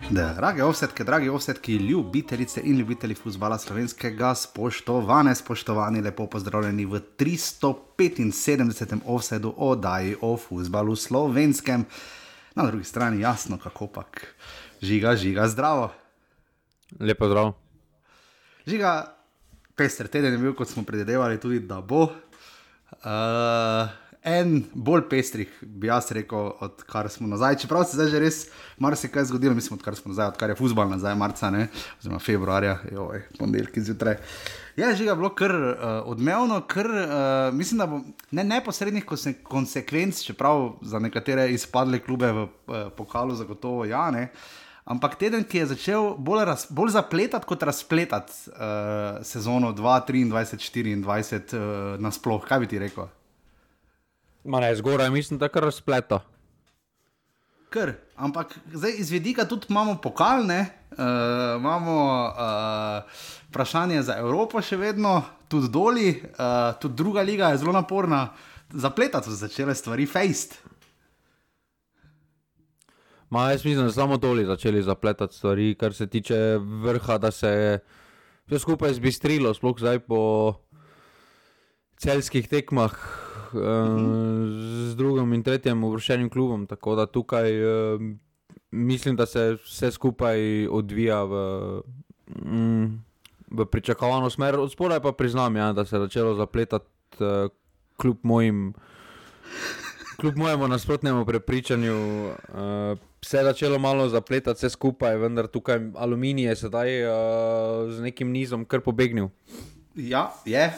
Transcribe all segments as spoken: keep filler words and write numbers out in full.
Drage offsetke, dragi offsetki, ljubitelice in ljubitelji fuzbala slovenskega, spoštovane, spoštovani, lepo pozdravljeni v tristo petinsedemdesetem offsetu oddaji o fuzbalu slovenskem. Na drugi strani jasno, kako pak. Žiga, žiga, zdravo. Lepo zdravo. Žiga, pester teden je bil, kot smo predvidevali tudi, da bo. Uh, en bolj pestrih, bi jaz rekel, odkar smo nazaj. Čeprav se zdaj že res marsikaj zgodilo, mislim, odkar smo nazaj, odkar je fuzbal nazaj, marca, ne, oziroma februarja, joj, ponedeljki zjutraj. Je Žiga bilo kar uh, odmevno, kar, uh, mislim, da bo ne neposrednih konse- konsekvenc, čeprav za nekatere izpadle klube v uh, pokalu zagotovo ja, ne, ampak teden, ki je začel bolj, raz, bolj zapletati kot razpletati uh, sezono dva tisoč triindvajset štiriindvajset uh, nasploh, kaj bi ti rekel? Ma ne, zgoraj mislim, da kar razpleta. Kar, ampak zdaj iz vidika tudi imamo pokal, ne, uh, imamo uh, vprašanje za Evropo še vedno, tudi doli, uh, tudi druga liga je zelo naporna, zapletati so začele stvari, fejst. Ma jaz mislim, da samo doli začeli zapletati stvari, kar se tiče vrha, da se je vse skupaj zbistrilo, sploh zdaj po celjskih tekmah z drugim in tretjim uvrščenim klubom, tako da tukaj uh, mislim, da se vse skupaj odvija v, mm, v pričakovano smer. Od spodaj pa priznam, ja, da se je začelo zapletati uh, kljub mojim kljub mojemu nasprotnemu prepričanju. Uh, se je začelo malo zapletati vse skupaj, vendar tukaj Aluminij je sedaj uh, z nekim nizom kar pobegnil. Ja, je.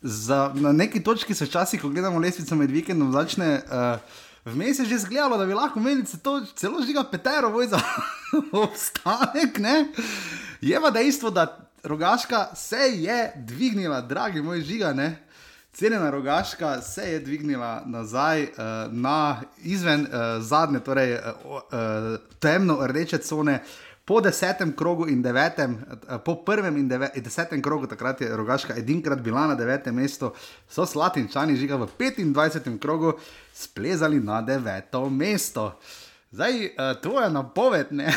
Za, na neki točki se včasih, ko gledamo lestvico med vikendom, začne uh, vmes je že zgledalo, da bi lahko imeli to, celo Žiga petero boj za obstanek, ne? Je pa dejstvo, da Rogaška se je dvignila, dragi moj Žiga, ne? Cenjena Rogaška se je dvignila nazaj uh, na izven uh, zadnje, torej uh, uh, temno rdeče cone. Po desetem krogu in devetem, po prvem in deve, desetem krogu, takrat je Rogaška edinkrat bila na devetem mestu, so Slatinčani Žiga v petindvajsetem krogu splezali na deveto mesto. Zdaj, tvoja napoved, ne,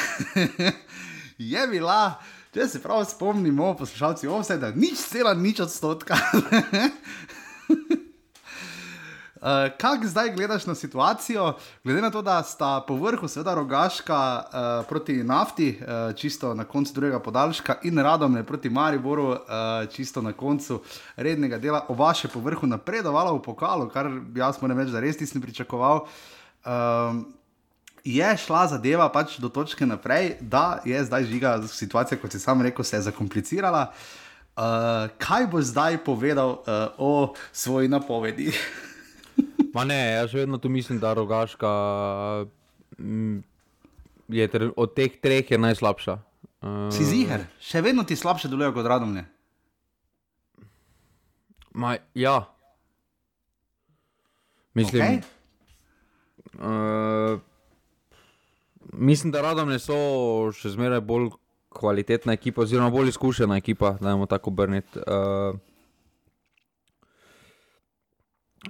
je bila, če se prav spomnimo, poslušalci offseta, nič cela nič odstotka. Uh, kako zdaj gledaš na situacijo, glede na to, da sta po vrhu seveda Rogaška uh, proti Nafti, uh, čisto na koncu drugega podaljška, in Radomlje proti Mariboru, uh, čisto na koncu rednega dela, oba še po vrhu napredovala v pokalu, kar jaz moram reči, da res nisem pričakoval. Uh, je šla zadeva pač do točke naprej, da je zdaj Žiga situacija, kot si sam rekel, se je zakomplicirala. Uh, kaj boš zdaj povedal uh, o svoji napovedi? Ma ne, jaz vedno tu mislim, da Rogaška m, je ter, od teh treh je najslabša. Uh, si ziher? Še vedno ti slabše delujejo kot Radomlje? Ma ja. Mislim, okay. uh, mislim, da Radomlje so še zmeraj bolj kvalitetna ekipa, oziroma bolj izkušena ekipa, dajmo tako obrniti. Uh,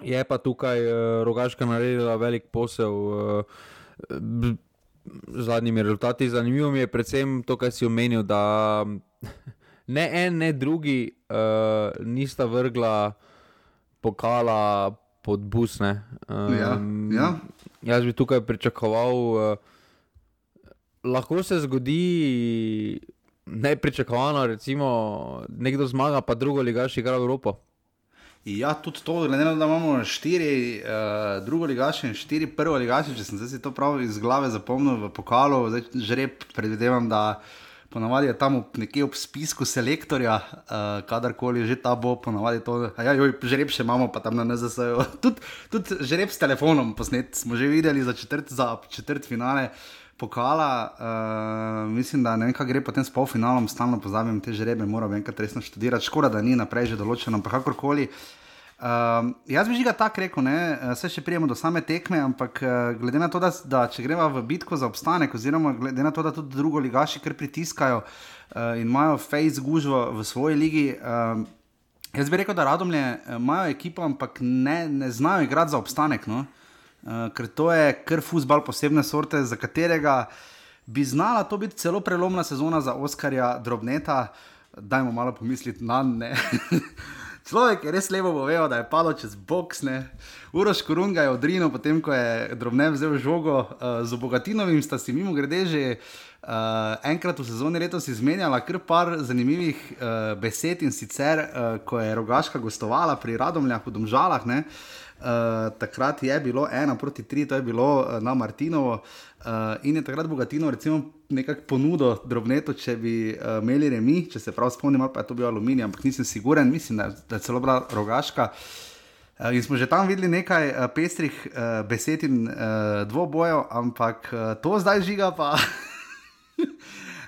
Je pa tukaj uh, Rogaška naredila velik posel uh, z zadnjimi rezultati. Zanimivo mi je predvsem to, kaj si omenil, da ne en, ne drugi uh, nista vrgla pokala pod bus. Ne. Um, ja, ja. Jaz bi tukaj pričakoval, uh, lahko se zgodi nepričakovano, recimo nekdo zmaga, pa drugo ligaš igra v Evropo. Ja, tudi to, glede na to, da imamo štiri uh, drugoligaše in štiri prvoligaše, če sem zdaj si to prav iz glave zapomnil v pokalu, zdaj žreb predvidevam, da ponavadi je tam nekje ob spisku selektorja, uh, kadarkoli že ta bo, ponavadi to, ja, joj, žreb še imamo, pa tam na N Z S-ju, tudi, tudi žreb s telefonom posnet, smo že videli za četrt, za četrt finale pokala, uh, mislim, da ne vem, kaj gre potem s polfinalom, stalno pozabim te žrebe, moram enkrat resno študirati, škoda, da ni naprej že določeno, pa kakorkoli. Uh, jaz bi Žiga tak rekel, ne, se še prijemo do same tekme, ampak uh, glede na to, da, da če greva v bitko za obstanek, oziroma glede na to, da tudi drugo ligaši kar pritiskajo uh, in imajo fejs gužvo v svoji ligi, uh, jaz bi rekel, da Radomlje imajo ekipo, ampak ne, ne znajo igrati za obstanek, no. Uh, ker to je kar fuzbal posebne sorte, za katerega bi znala to biti celo prelomna sezona za Oskarja Drobneta. Dajmo malo pomisliti na ne. Človek je res lepo povedal, da je padel čez boks, ne. Uroš Korun ga je odrinil, potem ko je Drobnet vzel žogo. Uh, z Bogatinovim sta si mimo grede že uh, enkrat v sezoni letos izmenjala kar par zanimivih uh, besed in sicer, uh, ko je Rogaška gostovala pri Radomljah v Domžalah, ne. Uh, takrat je bilo ena proti tri, to je bilo uh, na Martinovo uh, in je takrat Bogatinov recimo nekako ponudil Drobnetu, če bi uh, imeli remi, če se prav spomnim, ali pa je to bil Aluminij, ampak nisem siguren, mislim, da, da je celo bila Rogaška. Uh, in smo že tam videli nekaj uh, pestrih uh, besed in uh, dvobojev, ampak uh, to zdaj žiga pa...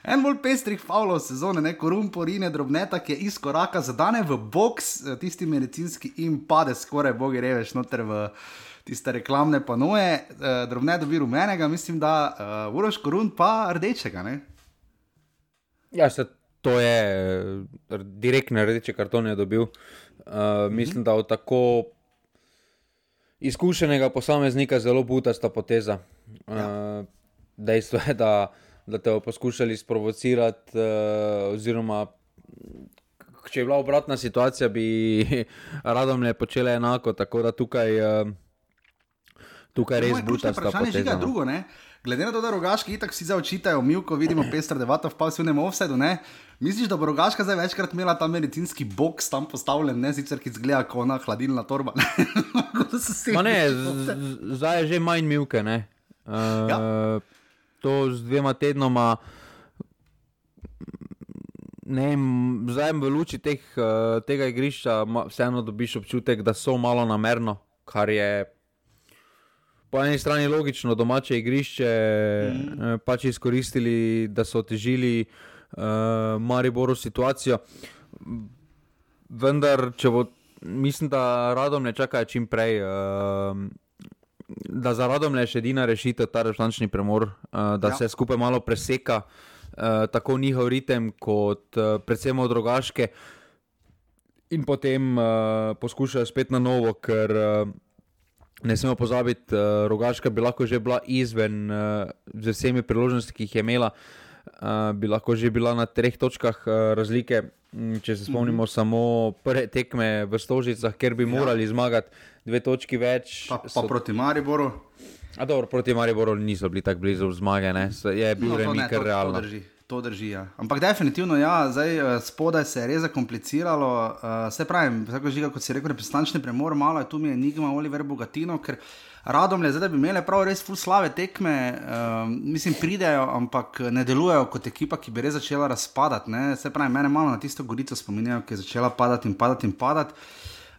En bolj pestrih faulov sezone, ne, Korun porine Drobneta, ki je iz koraka zadane v boks, tisti medicinski in pade skoraj, bogi reveš, noter v tiste reklamne panoje. Drobnet dobi rumenega, mislim, da uh, Uroš Korun pa rdečega, ne? Ja, se to je direktne rdeče kartone dobil. Uh, mislim, da od tako izkušenega posameznika zelo butasta poteza. Uh, ja. Dejstvo je, da da te bo poskušali sprovocirati, uh, oziroma če je bila obratna situacija, bi Radomlje počele enako, tako da tukaj, uh, tukaj res butasta poteza. Drugo, ne? Glede na to, da Rogaški itak vsi zdaj očitajo, Milko vidimo pestra debata v pasivnem offsidu, ne? Misliš, da bo Rogaška zdaj večkrat imela ta medicinski boks tam postavljen, ne? Sicer ki izgleda kot ona hladilna torba. Ma ne, z, zdaj je že manj Milke, ne? Uh, ja. To z dvema tednoma, ne vem, zdaj v luči teh, tega igrišča vseeno dobiš občutek, da so malo namerno, kar je po eni strani logično, domače igrišče mm. pač izkoristili, da so otežili uh, Mariboru situacijo. Vendar, če bo, mislim, da Radomlje čakajo čim prej, uh, da za Radomlje je še edina rešitev ta reprezentančni premor, uh, da ja. se skupaj malo preseka, uh, tako njihov ritem kot uh, predvsem od Rogaške in potem uh, poskušajo spet na novo, ker uh, ne smemo pozabiti, uh, Rogaška bi lahko že bila izven uh, z vsemi priložnosti, ki jih je imela, uh, bi lahko že bila na treh točkah uh, razlike, če se spomnimo mm-hmm. samo prve tekme v Stožicah, kjer bi morali ja. zmagati dve točki več. Pa, pa so... proti Mariboru? A dobro, proti Mariboru niso bili tako blizu zmage, ne? Je bil no, remi kar realno. To drži, to drži, ja. Ampak definitivno, ja, zdaj spodaj se je res zakompliciralo. Uh, se pravim, tako žiga, kot si rekel, reprezentančni premor, malo je tu mi enigma Oliver Bogatino, ker Radomlje zdaj, da bi imeli prav res ful slave tekme, uh, mislim, pridejo, ampak ne delujejo kot ekipa, ki bi res začela razpadati, ne? Se pravim, mene malo na tisto Gorico spominjajo, ki je začela padati in padati in padati.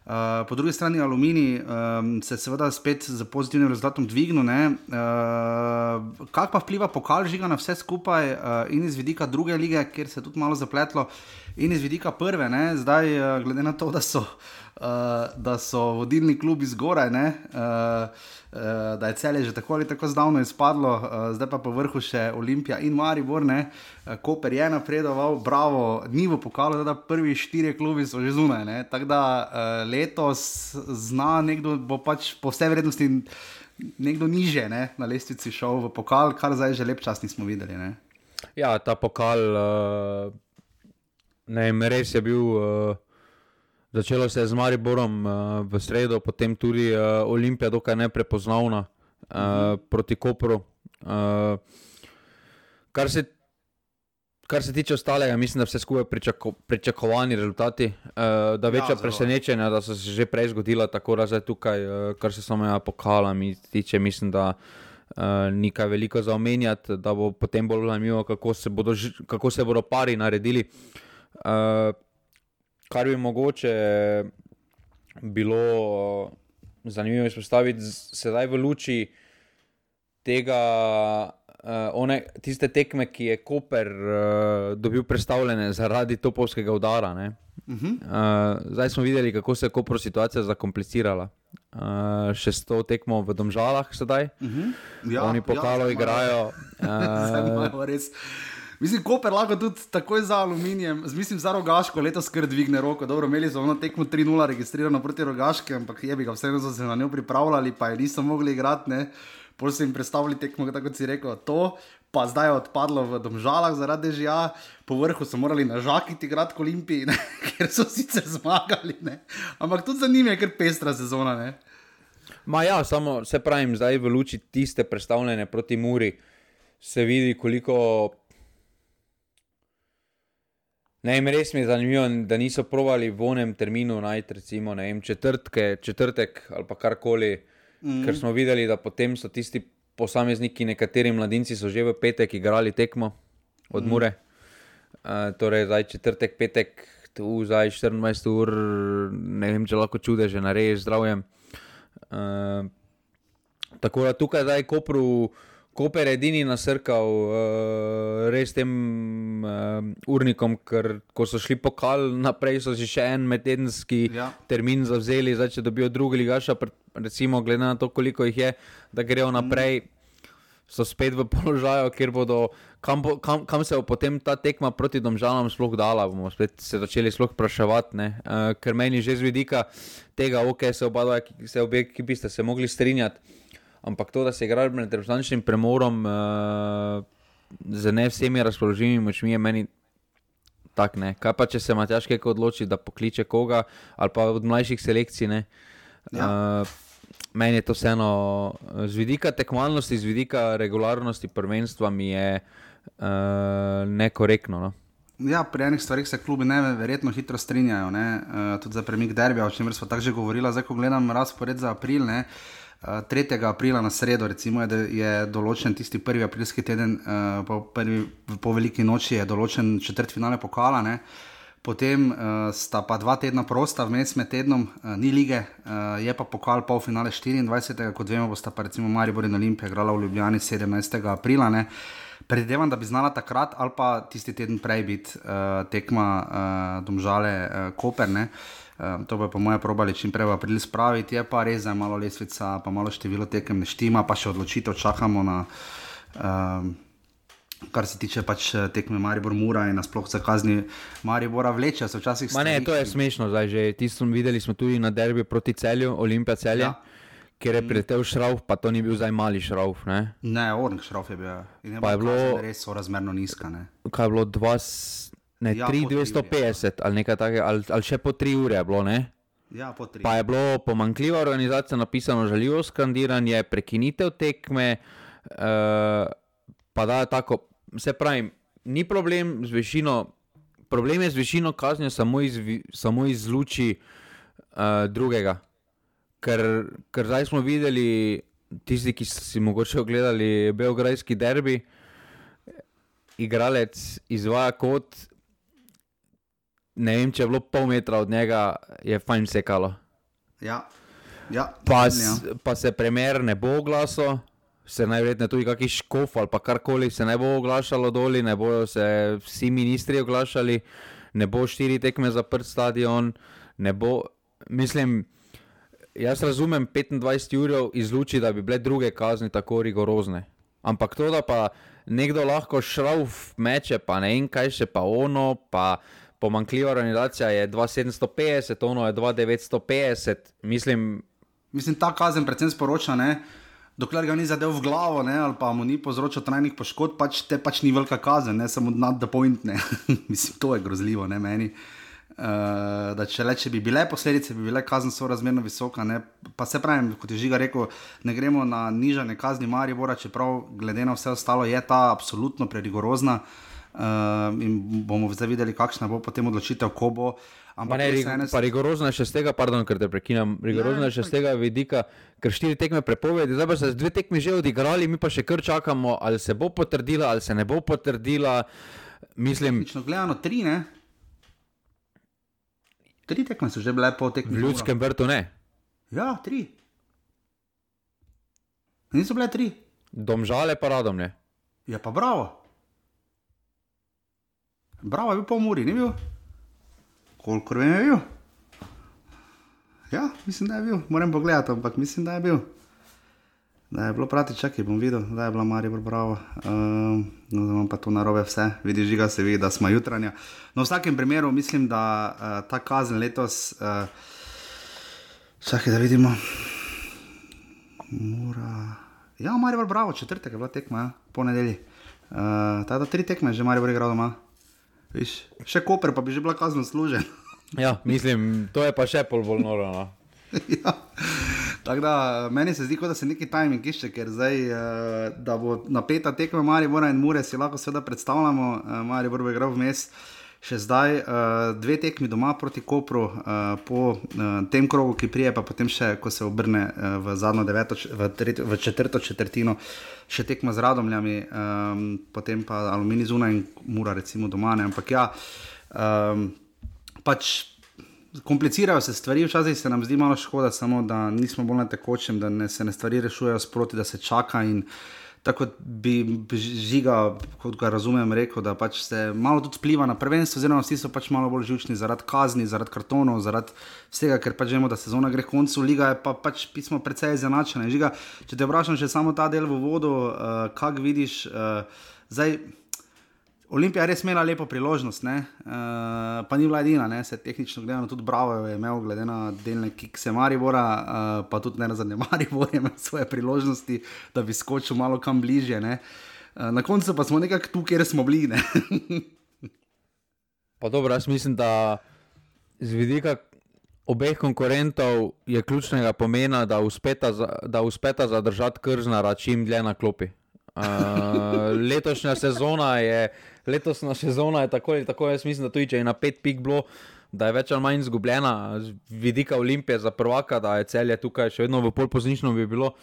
Uh, po drugi strani Aluminij um, se seveda spet z pozitivnim rezultatom dvignil, ne. Uh, kak pa vpliva pokal žiga na vse skupaj uh, in iz vidika druge lige, kjer se je tudi malo zapletlo, in iz vidika prve, ne. Zdaj, uh, glede na to, da so, uh, da so vodilni klubi zgoraj, ne, uh, uh, da je Celje že tako ali tako zdavno izpadlo, uh, zdaj pa po vrhu še Olimpija in Maribor, ne. Koper je napredoval, bravo, ni v pokalu, da prvi štiri klubi so že zunaj, ne, tako da uh, letos zna nekdo, bo pač po vsej vrednosti nekdo niže, ne, na lestvici šel v pokal, kar zdaj že lep čas nismo videli, ne. Ja, ta pokal, uh, ne vem, res je bil, uh, začelo se je z Mariborom uh, v sredo, potem tudi uh, Olimpija dokaj neprepoznavna uh, uh-huh. proti Kopru, uh, kar se Kar se tiče ostalega, mislim, da vse skupaj pričako, pričakovani rezultati, uh, da večja ja, presenečenja, da so se že prej zgodila, tako da zdaj tukaj, uh, kar se samega pokala mi tiče, mislim, da uh, ni kaj veliko za omenjati, da bo potem bolj zanimivo, kako se bodo, kako se bodo pari naredili. Uh, kar bi mogoče bilo uh, zanimivo izpostaviti sedaj v luči tega, Uh, one, tiste tekme, ki je Koper uh, dobil predstavljene zaradi topovskega udara. Ne? Uh-huh. Uh, zdaj smo videli, kako se je Kopru situacija zakomplicirala. Uh, še sto tekmo v Domžalah sedaj. Uh-huh. Ja, oni pokalo ja, igrajo. Uh, mislim, Koper lahko tudi takoj za Aluminijem, mislim za Rogaško letos kar dvigne roko. Dobro, imeli so ono tekmo tri nula registrirano proti Rogaške, ampak je bi ga vseeno so se na njo pripravljali, pa je niso mogli igrati, ne. Pol so jim predstavili tekmo, tako kot si rekel, to, pa zdaj je odpadlo v Domžalah zaradi dežja, po vrhu so morali na Žakiti igrati k Olimpiji, ne? Ker so sicer zmagali, ne? Ampak tudi za njim je kar pestra sezona, ne? Ma ja, samo se pravim, zdaj v luči tiste predstavljene proti Muri se vidi, koliko... Ne vem, res mi je zanimivo, da niso probali v onem terminu najti, recimo, ne vem, četrtke, četrtek ali pa karkoli, mm. ker smo videli, da potem so tisti posamezniki, nekateri mladinci so že v petek igrali tekmo od mm. Mure. Uh, torej, zdaj četrtek, petek, tu zdaj štiriindvajset ur, ne vem, če lahko čudeže narediš zdravjem. Uh, tako da tukaj zdaj Kopru, Koper edini nasrkal uh, res tem uh, urnikom, ker ko so šli pokal naprej, so si še en medtedenski ja. termin zavzeli, zdaj če dobijo drugi ligaša, recimo glede na to, koliko jih je, da grejo naprej, so spet v položaju, kjer bodo, kam, bo, kam, kam se bo potem ta tekma proti Domžalam sploh dala, bomo spet se začeli sploh vpraševati, ne, uh, ker meni že z vidika tega, ok, se oba dva, se obe ekipi ste se mogli strinjati, ampak to, da se igrali med reprezentančnim premorom uh, z ne vsemi razpoložljivimi močmi, je meni tak, ne. Kaj pa, če se Matjaž Kek odloči, da pokliče koga, ali pa od mlajših selekcij, ne. Ja. Uh, meni je to vseeno, z vidika tekmovalnosti, z vidika regularnosti prvenstva mi je uh, nekorektno, no. Ja, pri enih stvarih se klubi ne verjetno hitro strinjajo, ne. Uh, tudi za premik derbija, o čemer smo tako že govorila, zdaj ko gledam razpored za april, ne. tretjega aprila na sredo, recimo, je, je določen tisti prvi aprilski teden, uh, po, prvi, po veliki noči je določen četrtfinale pokala, ne. Potem uh, sta pa dva tedna prosta, vmes med tednom uh, ni lige, uh, je pa pokal polfinale štiriindvajsetega kot vemo, bosta pa recimo Maribor in Olimpija igrala v Ljubljani sedemnajstega aprila, ne. Predvidevam, da bi znala takrat ali pa tisti teden prej biti uh, tekma uh, Domžale uh, Koper, ne. Um, to bo po moje probali čim prej v april spraviti, je pa res, da je malo lesvica, pa malo število tekem ne štima, pa še odločitev čakamo na, um, kar se tiče pač tekme Maribor-Mura in nasploh za kazni Maribora vlečejo se včasih... Ma ne, to je smešno zdaj že, tisto videli smo tudi na derbi proti Celju, Olimpija Celje, ja. Kjer je priletel Šrauf, pa to ni bil zdaj mali Šrauf, ne? Ne, Ornik Šrauf je bil, in je pa je bilo res sorazmerno nizka, ne? Kaj je bilo, dva... Ne, ja, tri dvesto petdeset ali nekaj takega, ali, ali še po tri ure je bilo, ne? Ja, po tri. Pa je bilo pomanjkljiva organizacija, napisano žaljivo skandiranje, prekinitev tekme, uh, pa da tako, se pravim, ni problem z višino, problem je z višino kaznjo samo iz, samo iz luči uh, drugega, ker, ker zdaj smo videli, tisti, ki so si mogoče ogledali beograjski derbi, igralec izvaja kot, ne vem, če je bilo pol metra od njega, je fajn sekalo. Ja, ja. Pa, ja. Pa se premier ne bo oglasil, se najverjetneje tudi kakšen škof ali pa karkoli se ne bo oglašalo doli, ne bojo se vsi ministri oglašali, ne bo štiri tekme zaprt stadion, ne bo, mislim, jaz razumem petindvajset jurjev iz luči, da bi bile druge kazni tako rigorozne, ampak to, da pa nekdo lahko Šrauf meče, pa ne vem kaj še, pa ono, pa pomanjkljiva organizacija je dva sedemsto petdeset, ono je dva devetsto petdeset, mislim... Mislim, ta kazen predvsem sporoča, ne, dokler ga ni zadev v glavo, ne, ali pa mu ni povzročil trajnih poškodb, pač te pač ni velika kazen, ne, samo not the point, ne. Mislim, to je grozljivo, ne, meni. Uh, da če le, če bi bile posledice, bi bile kazen sorazmerno visoka, ne, pa se pravim, kot je Žiga rekel, ne gremo na nižanje kazni Maribora, čeprav glede na vse ostalo je ta absolutno prerigorozna, uh, in bomo zdaj videli, kakšna bo potem odločitev, ko bo. Ampak ne, ene... pa rigorozna je še z tega, pardon, ker te prekinam, rigorozna je še z tega vidika, ker štiri tekme prepovedi, zdaj pa se dve tekme že odigrali, mi pa še kar čakamo, ali se bo potrdila, ali se ne bo potrdila, mislim... Lično gledano tri, ne? Tri tekme so že bile po tekmi. V Ljudskem vrtu ne? Ja, tri. Niso bile tri. Domžale pa Radomlje. Ja pa bravo. Bravo je bil po Muri, ni bil? Kolikor vem je bil? Ja, mislim, da je bil. Moram pogledati, ampak mislim, da je bil. Da je bilo prati, čakaj, bom videl, da je bila Maribor bravo. Um, no, da imam pa to narobe vse. Vidi, Žiga se vidi, da smo jutranja. No, v vsakem primeru mislim, da uh, ta kazen letos... Uh, čakaj, da vidimo. Mora... Ja, Maribor, bravo, četrtek je bila tekma, ja, po nedelji. Uh, Tada tri tekme že Maribor igral doma. Viš, še Koper pa bi že bila kazno služen. Ja, mislim, to je pa še pol bolj noro. No. Ja, tako da meni se zdi, kot da se neki timing išče, ker zdaj, uh, da bo napeta tekma Maribora in Mure, si lahko seveda predstavljamo, uh, Maribor bo igral vmes. Še zdaj uh, dve tekmi doma proti Kopru, uh, po uh, tem krogu, ki prije, pa potem še, ko se obrne uh, v zadnjo deveto, v, tretjo, v četrto četrtino, še tekma z Radomljami, um, potem pa Aluminij zunaj in Mura recimo doma, ne, ampak ja, um, pač komplicirajo se stvari, včasih se nam zdi malo škoda, samo da nismo bolj na tekočem, da ne, se ne stvari rešujejo sproti, da se čaka in tako bi Žiga, kot ga razumem, rekel, da pač se malo tudi vpliva na prvenstvo, oziroma vsi so pač malo bolj živčni zaradi kazni, zaradi kartonov, zaradi vsega, ker pač vemo, da sezona gre koncu, liga je pa pač pismo precej izenačena. Žiga, če te vprašam še samo ta del v vodu, uh, kak vidiš, uh, zdaj Olimpija je res imela lepo priložnost, ne? Uh, pa ni bila edina, ne? Se tehnično gledano tudi Bravo je imel glede na delne kikse Maribora, uh, pa tudi ne na zadnje Maribor je imel svoje priložnosti, da bi skočil malo kam bližje, ne? Uh, na koncu pa smo nekako tu, kjer smo bili, ne? Pa dobro, jaz mislim, da z vidika obeh konkurentov je ključnega pomena, da uspeta, da uspeta zadržati Krznara čim dlje na klopi. Uh, letošnja sezona je Letosna sezona je tako ali tako, jaz mislim, da tudi če je na pet pik bilo, da je več ali manj izgubljena z vidika Olimpije za prvaka, da je Celje tukaj še vedno v pol poznično bi bilo.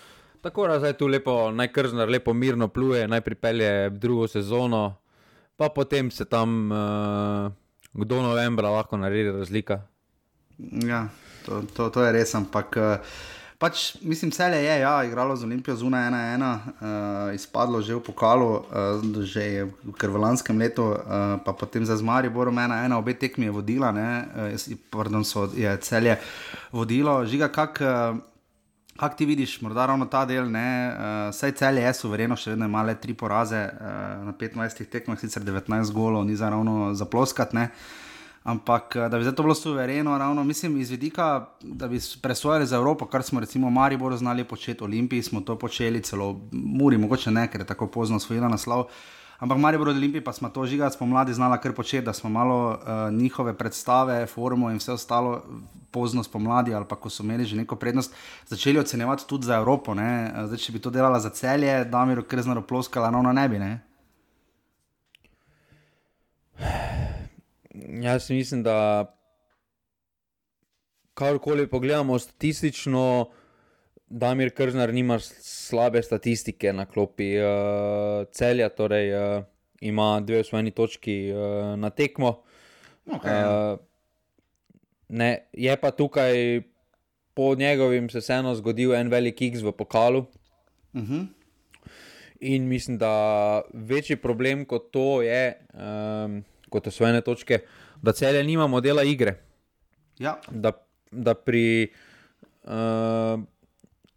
Tako da zdaj tu lepo, naj Krznar lepo mirno pluje, naj pripelje drugo sezono, pa potem se tam uh, do novembra lahko naredi razlika. Ja, to, to, to je res, ampak uh, pač, mislim, Celje je, ja, igralo z Olimpijo zunaj ena ena, uh, izpadlo že v pokalu, uh, že je kar v lanskem letu, uh, pa potem za z Mariborom ena ena, obe tekmi je vodila, ne, uh, pardon, so, je Celje vodilo. Žiga, kak, uh, kak ti vidiš, morda ravno ta del, ne, uh, saj Celje je suvereno, še vedno ima le tri poraze uh, na petnajstih tekmah, sicer devetnajst golov, ni za ravno zaploskat, ne. Ampak, da bi zdaj to bilo suvereno, ravno, mislim, iz vidika, da bi presojali za Evropo, kar smo recimo Maribor znali početi, Olimpiji smo to počeli, celo Muri, mogoče ne, ker je tako pozno osvojila naslov, ampak Maribor od Olimpiji pa smo to Žiga spomladi znala kar početi, da smo malo uh, njihove predstave, formo in vse ostalo pozno spomladi, ali pa ko so imeli že neko prednost, začeli ocenjevati tudi za Evropo, ne, zdaj, če bi to delala za Celje, Damir Krznar oploskala, ravno ne bi, ne. Jaz mislim, da karkoli pogledamo statistično, Damir Krznar nima slabe statistike na klopi. Uh, Celja torej uh, ima dve osvojeni točki uh, na tekmo. Okay. Uh, ne, je pa tukaj po njegovim se vseeno zgodil en velik X v pokalu. Uh-huh. In mislim, da večji problem kot to je... Um, kot osvojene točke, da Celje nima modela igre. Ja. Da, da pri uh,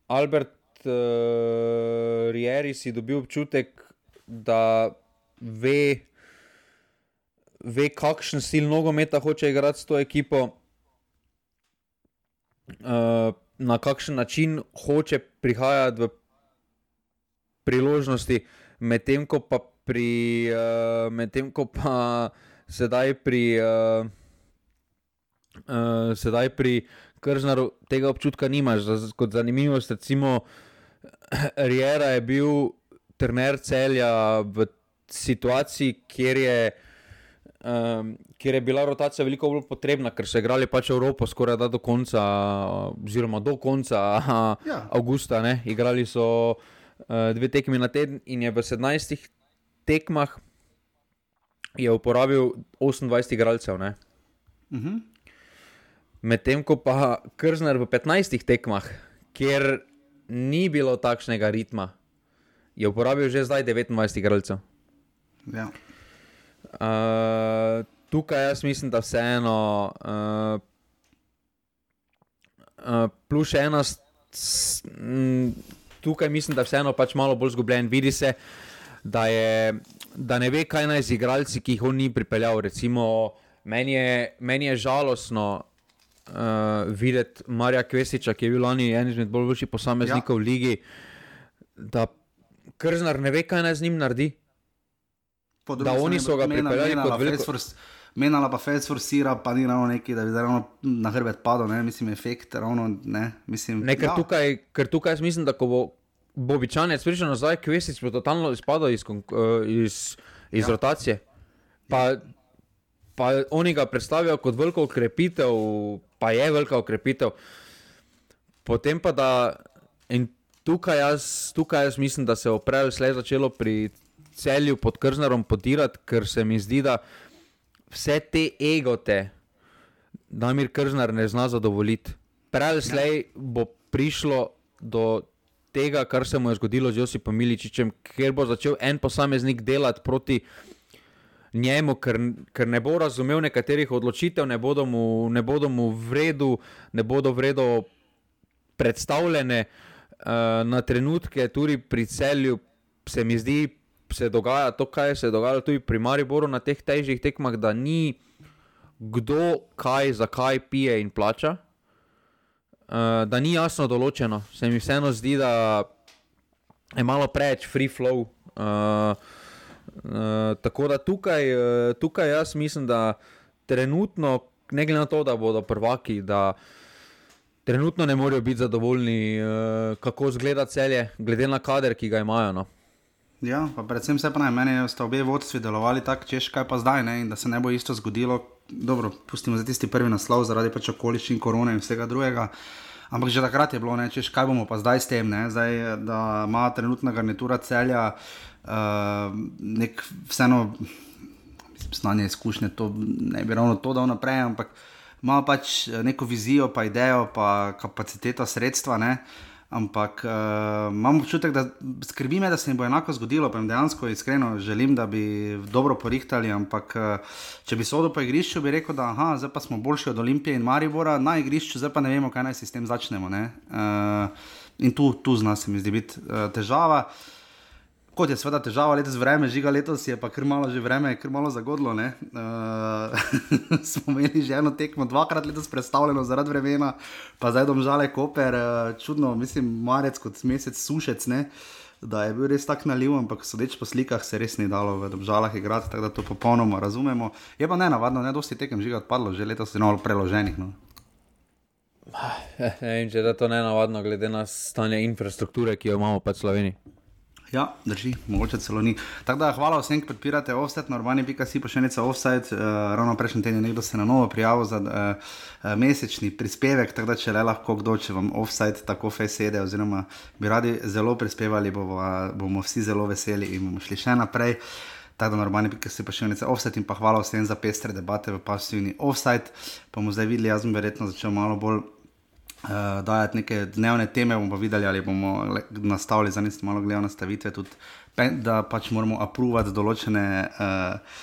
Albert uh, Rieri si dobil občutek, da ve, ve kakšen stil nogometa hoče igrati s to ekipo, uh, na kakšen način hoče prihajati v priložnosti, medtem ko pa pri uh, medtem ko pa sedaj pri uh, uh, sedaj pri Krznaru tega občutka nimaš. Kot zanimivost, recimo Riera je bil trener Celja v situaciji, kjer je um, kjer je bila rotacija veliko bolj potrebna, ker so igrali pač Evropo skoraj da do konca oziroma do konca ja. avgusta, ne? Igrali so uh, dve tekmi na teden in je v sedemnajstih tekmah je uporabil osemindvajset igralcev, ne? Uh-huh. Medtem ko pa Krznar v petnajstih tekmah, kjer ni bilo takšnega ritma, je uporabil že zdaj devetindvajset igralcev. Ja. Uh, tukaj jaz mislim, da vseeno uh, uh, plus še ena s, m, tukaj mislim, da vseeno pač malo bolj zgubljen. Vidi se, da je da ne ve, kaj naj z igralci, ki jih on ni pripeljal. Recimo, meni je, meni je žalostno uh, videti Marija Kvesiča, ki je bil lani en izmed bolj boljših posameznikov ja. v ligi, da Krznar ne ve, kaj naj z njim naredi. Da oni so ga pripeljali kot veliko... Menala pa Fels forsira, pa ni ravno neki, da bi ravno na hrbet padel, ne, mislim, efekt, ravno, ne, mislim... Ne, ker, ja. tukaj, ker tukaj jaz mislim, da ko bo Bobičanec prišel nazaj, Kvesic bo totalno izpadal iz, iz, iz ja. rotacije. Pa, pa oni ga predstavijo kot veliko okrepitev, pa je velika okrepitev. Potem pa da... In tukaj jaz, tukaj jaz mislim, da se oprejo slej začelo pri Celju pod Krznarom podirati, ker se mi zdi, da vse te egote Damir Krznar ne zna zadovoljiti. Prej slej bo prišlo do tega, kar se mu je zgodilo z Josipom Miličićem, ker bo začel en posameznik delati proti njemu, ker, ker ne bo razumel nekaterih odločitev, ne bodo mu, ne bodo mu v redu, ne bodo v redu predstavljene uh, na trenutke, tudi pri Celju se mi zdi, se dogaja to, kaj se je dogajalo tudi pri Mariboru na teh težjih tekmah, da ni kdo kaj, zakaj pije in plača, uh, da ni jasno določeno. Se mi vseeno zdi, da je malo preveč free flow. Uh, uh, tako da tukaj, uh, tukaj jaz mislim, da trenutno, ne glede na to, da bodo prvaki, da trenutno ne morejo biti zadovoljni, uh, kako zgleda Celje, glede na kader, ki ga imajo, no. Ja, pa predvsem se pa naj, meni sta obe vodstvi delovali tako, češ kaj pa zdaj, ne, in da se ne bo isto zgodilo, dobro, pustimo za tisti prvi naslov, zaradi pač okoliščin korone in vsega drugega, ampak že takrat je bilo, ne, češ kaj bomo pa zdaj s tem, ne, zdaj, da ima trenutna garnitura Celja uh, nek vseeno, mislim, znanje, izkušnje, to ne bi ravno to dal naprej, ampak ima pač neko vizijo, pa idejo, pa kapaciteta, sredstva, ne, ampak uh, imam občutek, da skrbi me, da se jim bo enako zgodilo, pa jim dejansko iskreno želim, da bi dobro porihtali, ampak uh, če bi sodil po igrišču, bi rekel, da aha, zdaj pa smo boljši od Olimpije in Maribora, na igrišču, zdaj pa ne vemo, kaj naj si s tem začnemo, ne, uh, in tu, tu zna se mi zdi biti uh, težava. Kot je seveda težava letos vreme, Žiga letos je pa kar malo že vreme, kar malo zagodlo, ne. Uh, smo imeli že eno tekmo, dvakrat letos predstavljeno zaradi vremena, pa zdaj Domžale Koper, uh, čudno, mislim, marec kot mesec Sušec, ne, da je bil res tak naliv, ampak sodeč po slikah se res ni dalo v Domžalah igrati, tako da to popolnoma razumemo. Je pa nenavadno, ne, dosti tekem Žiga odpadlo, že letos je malo preloženih, no. Ne vem, če je to nenavadno, glede na stanje infrastrukture, ki jo imamo pa v Sloveniji. Ja, drži, mogoče celo ni. Tako da hvala vsem, ki podpirate Offset, na urbani pika si pošiljnica Offset, uh, ravno prejšnji teden nekdo se na novo prijavil za uh, mesečni prispevek, tako da če le lahko kdo, če vam Offset tako fej sede, oziroma bi radi zelo prispevali, bomo, bomo vsi zelo veseli in bomo šli še naprej. Tako da na urbani pika si pošiljnica Offset in pa hvala vsem za pestre debate v pasivni Offset. Pa bomo zdaj videli, jaz bom verjetno začel malo bolj Uh, dajati neke dnevne teme, bomo pa videli, ali bomo le, nastavili, za niste malo gledal nastavitve, tudi, da pač moramo apruvati določene uh,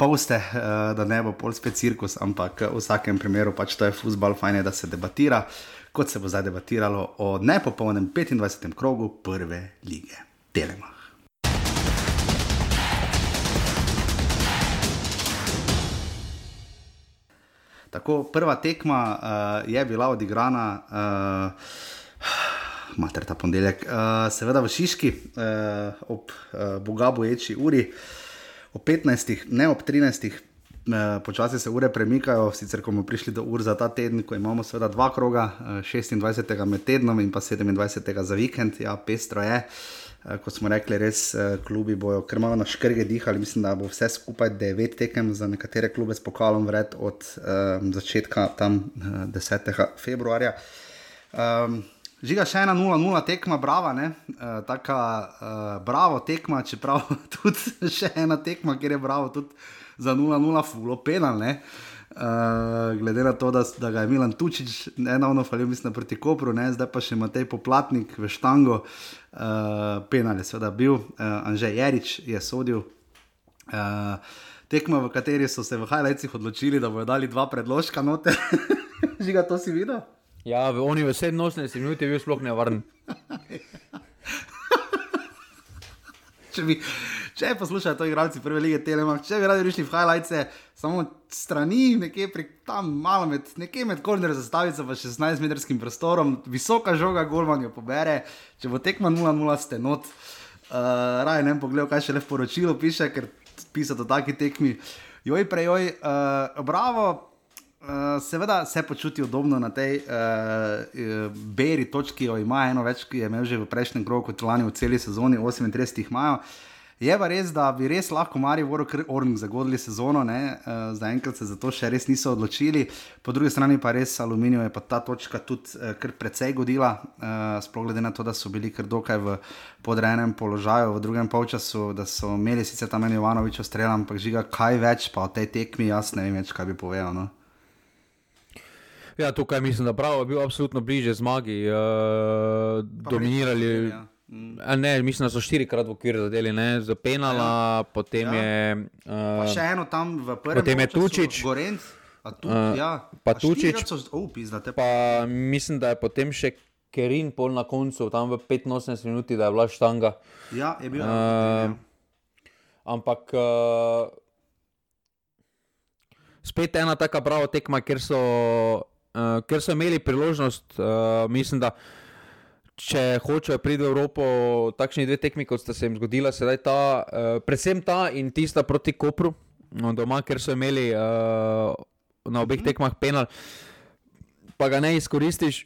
poste, uh, da ne bo pol spet cirkus, ampak v vsakem primeru pač to je fuzbal, fajn je, da se debatira, kot se bo zdaj debatiralo o nepopolnem petindvajsetem krogu prve lige Telemach. Tako, prva tekma uh, je bila odigrana, uh, mater ta ponedeljek, uh, seveda v Šiški, uh, ob uh, boga boječi uri, ob petnajstih, ne ob trinajstih, uh, počasi se ure premikajo, sicer ko bomo prišli do ur za ta teden, ko imamo seveda dva kroga, uh, šestindvajsetega med tednom in pa sedemindvajsetega za vikend, ja, pestro je. Kot smo rekli, res klubi bojo kar malo na škrge dihali, mislim, da bo vse skupaj devet tekem za nekatere klube s pokalom vred od um, začetka tam uh, desetega februarja. Um, Žiga še ena nula nula tekma, brava, ne, uh, taka uh, bravo tekma, čeprav tudi še ena tekma, kjer je bravo tudi za nula nula fulo penal, ne. Uh, glede na to, da, da ga je Milan Tučić enavno falil, mislim, proti Kopru, ne, zdaj pa še Matej Poplatnik v štango, uh, penal je seveda bil, uh, Anže Jerič je sodil, uh, tekma, v kateri so se v highlightsih odločili, da bojo dali dva predložka noter. Žiga, to si videl? Ja, oni v sedeminosemdeset minut je bil sploh nevaren. Če bi, če poslušajo to igralci prve lige Telemach, če bi radi prišli v highlights, samo strani, nekje pri tam malo med, nekje med korner zastavico pa šestnajstmetrskim prostorom, visoka žoga, golman jo pobere, če bo tekma nula nula ste not. Uh, Raj, ne bom pogledal, kaj še le v poročilu piše, ker pisati o taki tekmi. Joj, prejoj, uh, bravo, uh, seveda se počuti udobno na tej uh, beri točki, jo ima eno več, ki je imel že v prejšnjem krogu kot lani v celi sezoni, osemintrideset jih imajo. Je pa res, da bi res lahko Mariboru kar Orning zagodili sezono, ne, uh, zaenkrat se za to še res niso odločili, po drugi strani pa res Aluminiju je pa ta točka tudi uh, kar precej godila, uh, sploh glede na to, da so bili kar dokaj v podrejenem položaju v drugem polčasu, da so imeli sicer tam en Jovanovičev strel, ampak Žiga, kaj več pa o tej tekmi, jaz ne vem več, kaj bi povedal, no. Ja, tukaj mislim, da Bravo je bil absolutno bliže zmagi, uh, dominirali... Ja. A ne, mislim, da so štirikrat v okvir zadeli, ne, z penala, ja. Potem ja. je... Uh, pa še eno tam v prvem potem je Tučić, Gorenc, a tu, uh, ja. Pa Tučić, so, oh, pizdate, pa mislim, da je potem še Kerin pol na koncu, tam v petinosemdeset minuti, da je bila štanga. Ja, je bil. Uh, ampak uh, spet ena taka Bravo tekma, ker so, uh, ker so imeli priložnost, uh, mislim, da če hočejo priti v Evropo, takšni dve tekmi, kot sta se jim zgodila, sedaj ta, uh, predvsem ta in tista proti Kopru, no, doma, ker so imeli uh, na obeh tekmah penal, pa ga ne izkoristiš,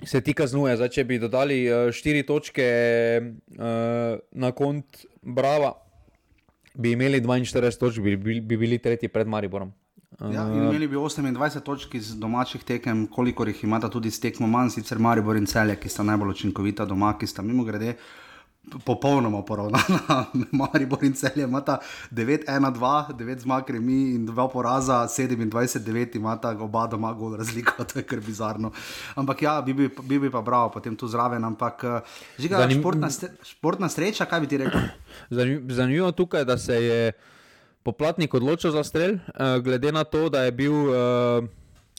se ti kaznuje. Zdaj, če bi dodali uh, štiri točke uh, na kont Brava, bi imeli dvainštirideset točk, bi, bi, bi bili tretji pred Mariborom. Ja, in imeli bi osemindvajset točk iz domačih tekem, kolikor jih imata tudi s tekmo manj, sicer Maribor in Celje, ki sta najbolj učinkovita doma, ki sta mimo grede popolnoma poravnana. Maribor in Celje imata devet ena dva, devet zmag remi in dva poraza, sedemindvajset devet imata oba doma gol razliko, to je kar bizarno. Ampak ja, bi bi, bi, bi pa Bravo potem tu zraven, ampak Žiga, Zanim... športna, športna sreča, kaj bi ti rekel? Zanimivo tukaj, da se je Poplatnik odločil za strel, uh, glede na to, da je bil, uh,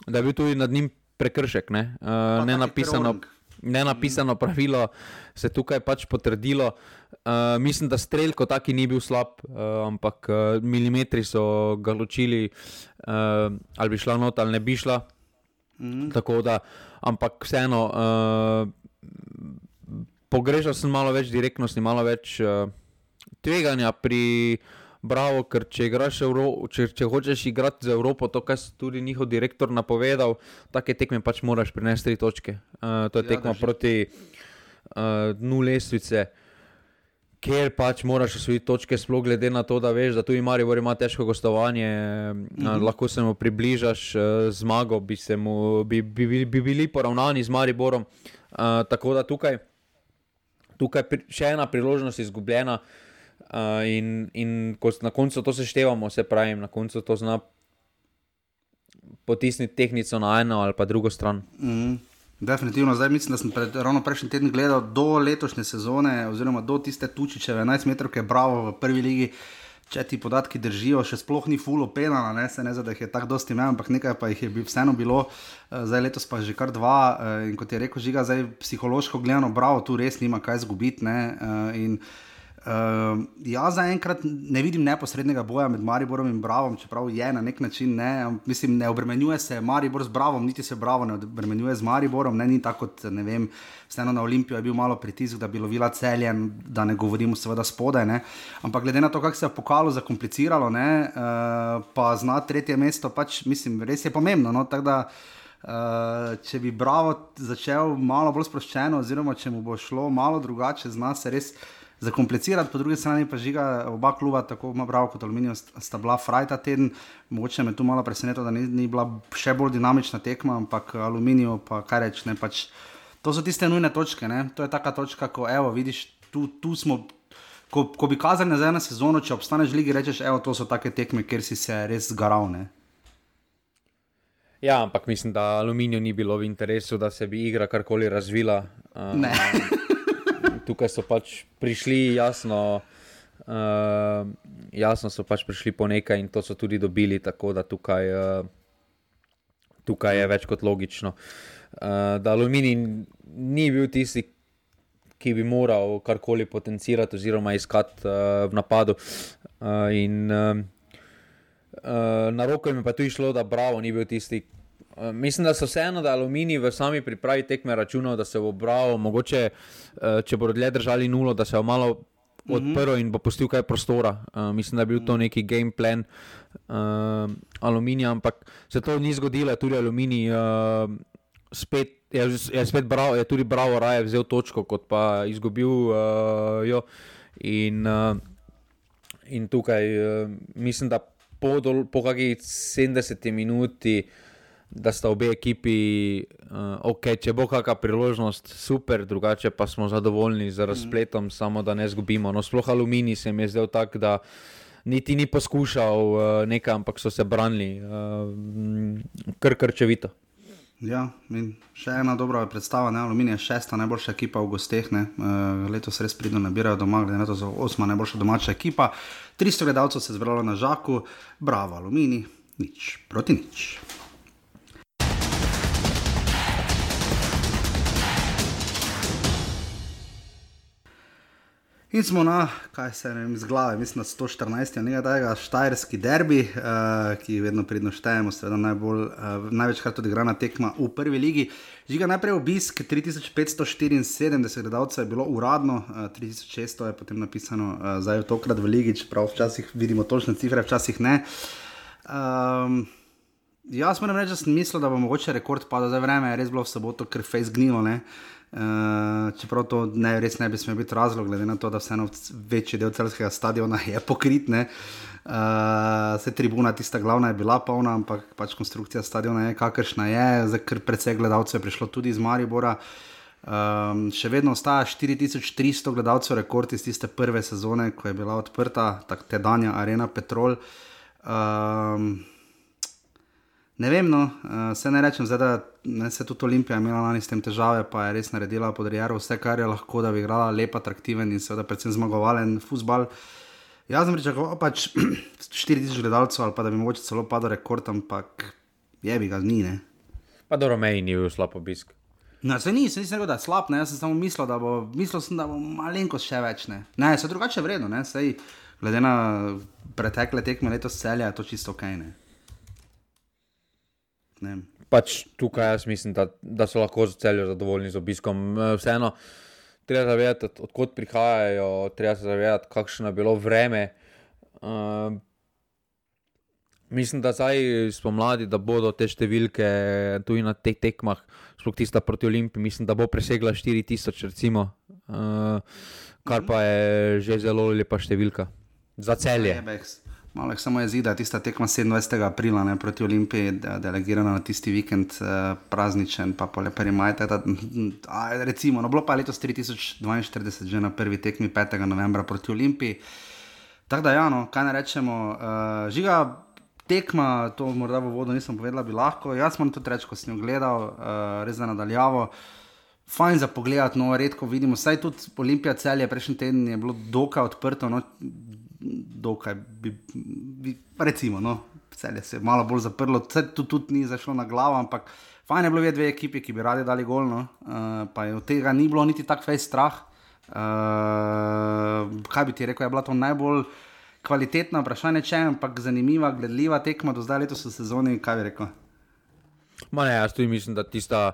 da je bil tudi nad njim prekršek, ne, uh, nenapisano, nenapisano pravilo se tukaj pač potrdilo. Uh, mislim, da strel kot taki ni bil slab, uh, ampak uh, milimetri so ga ločili, uh, ali bi šla not, ali ne bi šla. Mm. Tako da, ampak vseeno, uh, pogrešal sem malo več direktnosti, malo več uh, tveganja pri Bravo, ker če, igraš Euro, če, če hočeš igrati za Evropo, to, kar je tudi njihov direktor napovedal, take tekme pač moraš prinesti tri točke. Uh, to je ja, tekma proti uh, dnu lestvice, kjer pač moraš osvojiti točke, sploh glede na to, da veš, da tu Maribor ima težko gostovanje, mm-hmm. uh, lahko se mu približaš uh, zmago, bi, se mu, bi, bi, bi, bi bili poravnani z Mariborom. Uh, tako da tukaj, tukaj pri, še ena priložnost izgubljena. Uh, in, in ko na koncu to seštevamo, se pravim, na koncu to zna potisniti tehnico na eno ali pa drugo stran. Mm, definitivno, zdaj mislim, da sem pred, ravno prejšnji teden gledal do letošnje sezone oziroma do tiste Tučićeve enajst metrovke Bravo v prvi ligi, če ti podatki držijo, še sploh ni full penala, ne, se ne zda, da jih je tako dosti imel, ampak nekaj pa jih je vseeno bilo, zdaj letos pa že kar dva in kot je rekel Žiga, zdaj psihološko gledano Bravo tu res nima kaj zgubiti, ne, in Uh, jaz zaenkrat ne vidim neposrednega boja med Mariborom in Bravom, čeprav je na nek način, ne, mislim, ne obremenjuje se Maribor z Bravom, niti se Bravo ne obremenjuje z Mariborom, ne, ni tako kot, ne vem, vseeno na Olimpijo je bil malo pritisk, da bi lovila Celje, da ne govorimo seveda spodaj, ne, ampak glede na to, kako se je v pokalu zakompliciralo, ne, uh, pa zna tretje mesto, pač, mislim, res je pomembno, no, tako da uh, če bi Bravo začel malo bolj sproščeno, oziroma če mu bo šlo malo drugače, zna se res zakomplicirati, po drugi strani pa Žiga, oba kluba, tako Bravo kot Aluminij, sta bila fraj ta teden, mogoče me tu malo presenetilo, da ni, ni bila še bolj dinamična tekma, ampak Aluminiju pa kaj reč, ne, pač, to so tiste nujne točke, ne, to je taka točka, ko evo, vidiš, tu, tu smo, ko, ko bi kazali nazaj na sezono, če obstaneš v ligi, rečeš, evo, to so take tekme, kjer si se res zgaral, ne. Ja, ampak mislim, da Aluminiju ni bilo v interesu, da se bi igra karkoli razvila. Um, ne. Tukaj so pač prišli, jasno, uh, jasno so pač prišli po nekaj in to so tudi dobili, tako da tukaj, uh, tukaj je več kot logično. Uh, da Aluminij ni bil tisti ki bi moral karkoli potencirati oziroma iskati uh, v napadu. Uh, in uh, uh, na roko mi pa tu išlo, da Bravo ni bil tisti. Uh, mislim, da so vseeno, da Aluminij v sami pripravi tekme računal, da se bo Bravo, mogoče, uh, če bodo dlje držali nulo, da se bo malo odprl in bo pustil kaj prostora. Uh, mislim, da je bil to neki game plan uh, Aluminija, ampak se to ni zgodilo, tudi Aluminij uh, spet, je, je spet Bravo, je tudi Bravo raje vzel točko, kot pa izgubil uh, jo. In, uh, in tukaj uh, mislim, da po, dol, po kakih sedemdeseti minuti, da sta obe ekipi, uh, ok, če bo kakšna priložnost, super, drugače pa smo zadovoljni z razpletom, mm. samo da ne zgubimo. No, sploh Aluminij se mi je zdel tak, da niti ni poskušal uh, nekaj, ampak so se branili uh, kar krčevito. Ja, in še ena dobra predstava, ne? Aluminij je šesta najboljša ekipa v gosteh, ne? Uh, letos res pridno nabirajo doma, glede na to za osma najboljša domača ekipa. tristo gledalcev se je zbralo na Žaku, bravo Aluminij, nič proti nič. In smo na, kaj se ne vem, z glave, mislim na sto štirinajsti nekaj tega, štajerski derbi, uh, ki vedno pridno štejemo, seveda najbolj, uh, največkrat odigrana tekma v prvi ligi. Žiga, najprej obisk, tri tisoč petsto štiriinsedemdeset gledalcev je bilo uradno, uh, tri tisoč šeststo je potem napisano uh, zdaj tokrat v ligi, čeprav včasih vidimo točne cifre, včasih ne. Um, jaz moram reči, da sem mislil, da bo mogoče rekord padel, zdaj vreme je res bilo v soboto, ker face gnilo, ne. Uh, čeprav to ne, res ne bi smel biti razlog, glede na to, da vseeno večji del celjskega stadiona je pokrit, ne. Uh, se tribuna tista glavna je bila polna, ampak pač konstrukcija stadiona je kakršna je, zdaj ker precej gledalcev je prišlo tudi iz Maribora. Um, še vedno ostaja štiri tisoč tristo gledalcev, rekord iz tiste prve sezone, ko je bila odprta tak tedanja Arena Petrol. Um, Ne vem, no, uh, se ne rečem, zdaj, da ne, se tudi Olimpija imela lani s tem težave, pa je res naredila pod Riero vse, kar je lahko, da bi igrala lep, atraktiven in seveda predvsem zmagovalen futbal. Jaz sem pričakoval pač štiri tisoč gledalcev ali pa da bi mogoče celo padel rekord, ampak jebi ga ni, ne. Pa do Romeji ni bil slab obisk. No, se ni, se nisem rekel, da je slab, ne, jaz sem samo mislil, da bo, mislil sem, da bo malenkost še več, ne. Ne, se drugače vredno, ne, sej, glede na pretekle tekme letos Celja je to čisto okej, ne. Ne. Pač tukaj jaz mislim, da, da so lahko za Celje zadovoljni z obiskom. Vseeno, treba zavedati, odkot prihajajo, treba se zavedati, kakšno je bilo vreme. Uh, mislim, da zdaj spomladi, da bodo te številke tudi na teh tekmah, sploh tista proti Olimpiji, mislim, da bo presegla štiri tisoč recimo, uh, kar pa je že zelo lepa številka za Celje. Malo je samo jezida, tista tekma sedemindvajsetega aprila, ne, proti Olimpiji, de- delegirana na tisti vikend, eh, prazničen, pa poleperi majte, da, a, recimo, no, bilo pa letos tri tisoč dvainštirideset že na prvi tekmi petega novembra proti Olimpiji. Tako da, ja, no, kaj ne rečemo, uh, Žiga, tekma, to morda v vodu nisem povedala, bi lahko, jaz moram tudi reči, ko sem jo gledal, uh, res za nadaljavo, fajn za pogledati, no, redko vidimo, saj tudi Olimpija Celje prejšnji teden je bilo dokaj odprto, no, dokaj bi, bi, recimo, no, Celje se je malo bolj zaprlo, vse tu tudi ni zašlo na glavo, ampak fajn je bilo videti dve ekipi, ki bi radi dali gol, no, uh, pa je od tega ni bilo niti tak fejs strah. Uh, kaj bi ti rekel, je bila to najbolj kvalitetna vprašanje, če, ampak zanimiva, gledljiva tekma do zdaj letos v sezoni, kaj bi rekel? Ma ne, jaz tudi mislim, da tista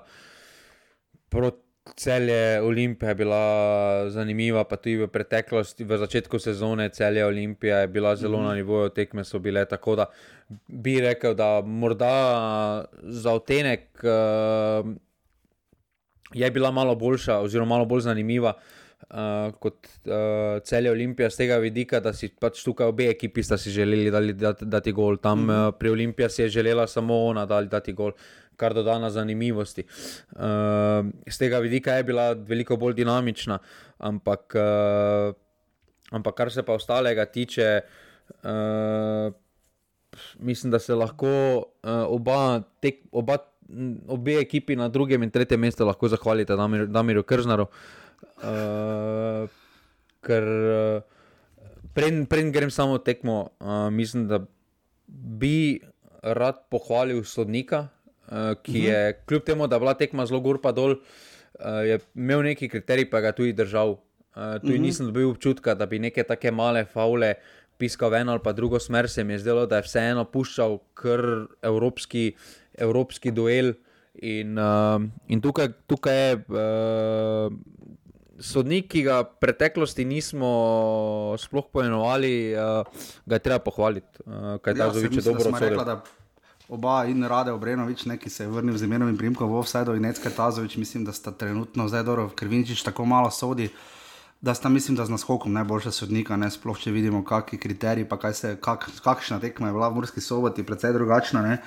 proti Celje Olimpija je bila zanimiva, pa tudi v preteklosti, v začetku sezone Celje Olimpija je bila zelo mm. na nivoju, tekme so bile, tako da bi rekel, da morda za odtenek uh, je bila malo boljša oziroma malo bolj zanimiva uh, kot uh, Celje Olimpija z tega vidika, da si pač tukaj obe ekipi sta si želeli dali, dati, dati gol. Tam mm. uh, pri Olimpija si je želela samo ona dali dati gol, kar dodana zanimivosti. Uh, z tega vidika je bila veliko bolj dinamična, ampak, uh, ampak kar se pa ostalega tiče, uh, mislim, da se lahko uh, oba, tek, oba, obe ekipi na drugem in tretjem mestu lahko zahvalite Damir, Damirju Krznarju, uh, ker uh, preden, preden grem samo tekmo, uh, mislim, da bi rad pohvalil sodnika, Uh, ki je, kljub temu, da je bila tekma zelo gor pa dol, uh, je imel neki kriterij, pa ga tudi držal. Uh, tu mm-hmm. nisem dobil občutka, da bi neke take male faule piskal v eno ali pa drugo smer, se mi je zdelo, da je vseeno puščal kar evropski, evropski duel in, uh, in tukaj, tukaj je uh, sodnik, ki ga v preteklosti nismo sploh poimenovali, uh, ga je treba pohvaliti, uh, kaj ja, Tazović je dobro odsodil. Oba in Rade Obrenović, ne, ki se je vrnil z imenom in priimkom v offside, in Necka Tazović, mislim, da sta trenutno zdaj dobro, Krviničić tako malo sodi, da sta, mislim, da z naskokom najboljša sodnika, ne, sploh če vidimo, kakšni kriteriji, pa kaj se, kak, kakšna tekma je bila v Murski Soboti, precej drugačna, ne.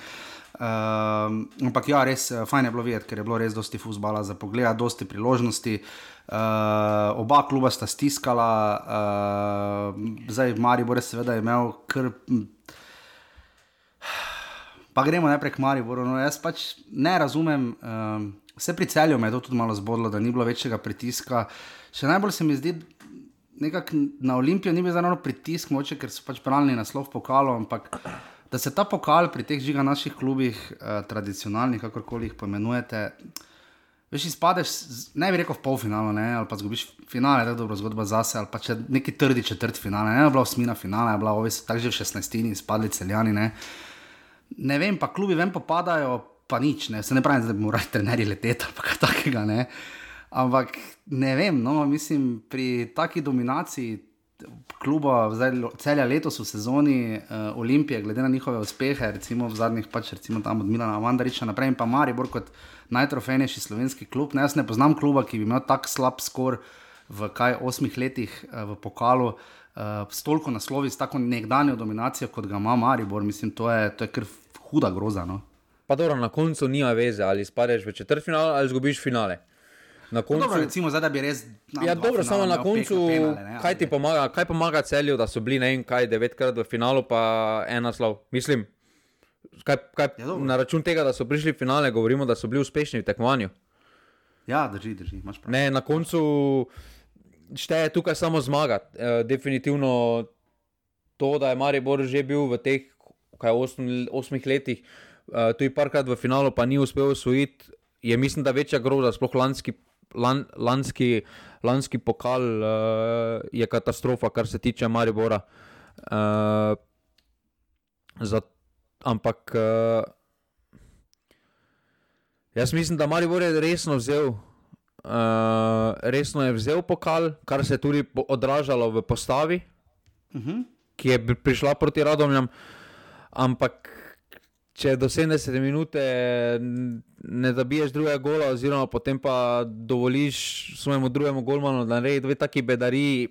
Um, ampak ja, res, fajn je bilo videti, ker je bilo res dosti fuzbala za pogleda, dosti priložnosti, uh, oba kluba sta stiskala, uh, zdaj Maribor je seveda imel kar... Pa gremo najprej k Mariboru, no jaz pač ne razumem, um, vse pri Celju me je to tudi malo zbodlo, da ni bilo večjega pritiska, še najbolj se mi zdi, nekako na Olimpijo ni bil zaravno pritisk, moče, ker so pač branili naslov pokalo, ampak da se ta pokal pri teh žiga naših klubih, uh, tradicionalnih, kakorkoli jih poimenujete, veš, izpadeš, ne bi rekel v polfinalu, ne, ali pa zgubiš finale, tako dobro zgodba zase, ali pa če neki trdi četrt finale, ne, je bila osmina finale, je bila ovi so tak že v šestnajstini, izpadli Celjani, ne. Ne vem, pa klubi ven popadajo, pa nič, ne, se ne pravim, da bi morali trenerji leteti ali pa kaj takega, ne, ampak ne vem, no, mislim, pri taki dominaciji kluba, zdaj Celja letos v sezoni, uh, Olimpije, glede na njihove uspehe, recimo v zadnjih pač, recimo tam od Milana Mandariča naprej in pa Maribor kot najtrofejnejši slovenski klub, ne, jaz ne poznam kluba, ki bi imel tak slab skor v kaj osmih letih uh, v pokalu, Uh, s toliko naslovi, s tako nekdanjo dominacijo, kot ga ima Maribor, mislim, to je, to je kar huda groza, no. Pa dobro, na koncu nima veze, ali spadeš v četrtfinale ali zgubiš finale. Na koncu... No dobro, recimo, zdaj da bi res... Ja, dobro, samo na koncu, penale, kaj ti pomaga, kaj pomaga Celju, da so bili, ne vem, kaj, devetkrat v finalu, pa en naslov. Mislim, kaj, kaj na račun tega, da so prišli v finale, govorimo, da so bili uspešni v tekmovanju. Ja, drži, drži, imaš prav. Ne, na koncu... Šteje tukaj samo zmagati. E, definitivno to, da je Maribor že bil v teh kaj osm, osmih letih, e, tudi parkrat v finalu pa ni uspel osvojiti, je mislim, da večja groza, sploh lanski, lan, lanski, lanski pokal e, je katastrofa, kar se tiče Maribora. E, za, ampak e, jaz mislim, da Maribor je resno vzel Uh, resno je vzel pokal, kar se je tudi odražalo v postavi, uh-huh. ki je prišla proti Radomljam, ampak če do sedemdesete minute ne zabiješ drugega gola, oziroma potem pa dovoliš svojemu drugemu golmanu, da naredi dve taki bedariji,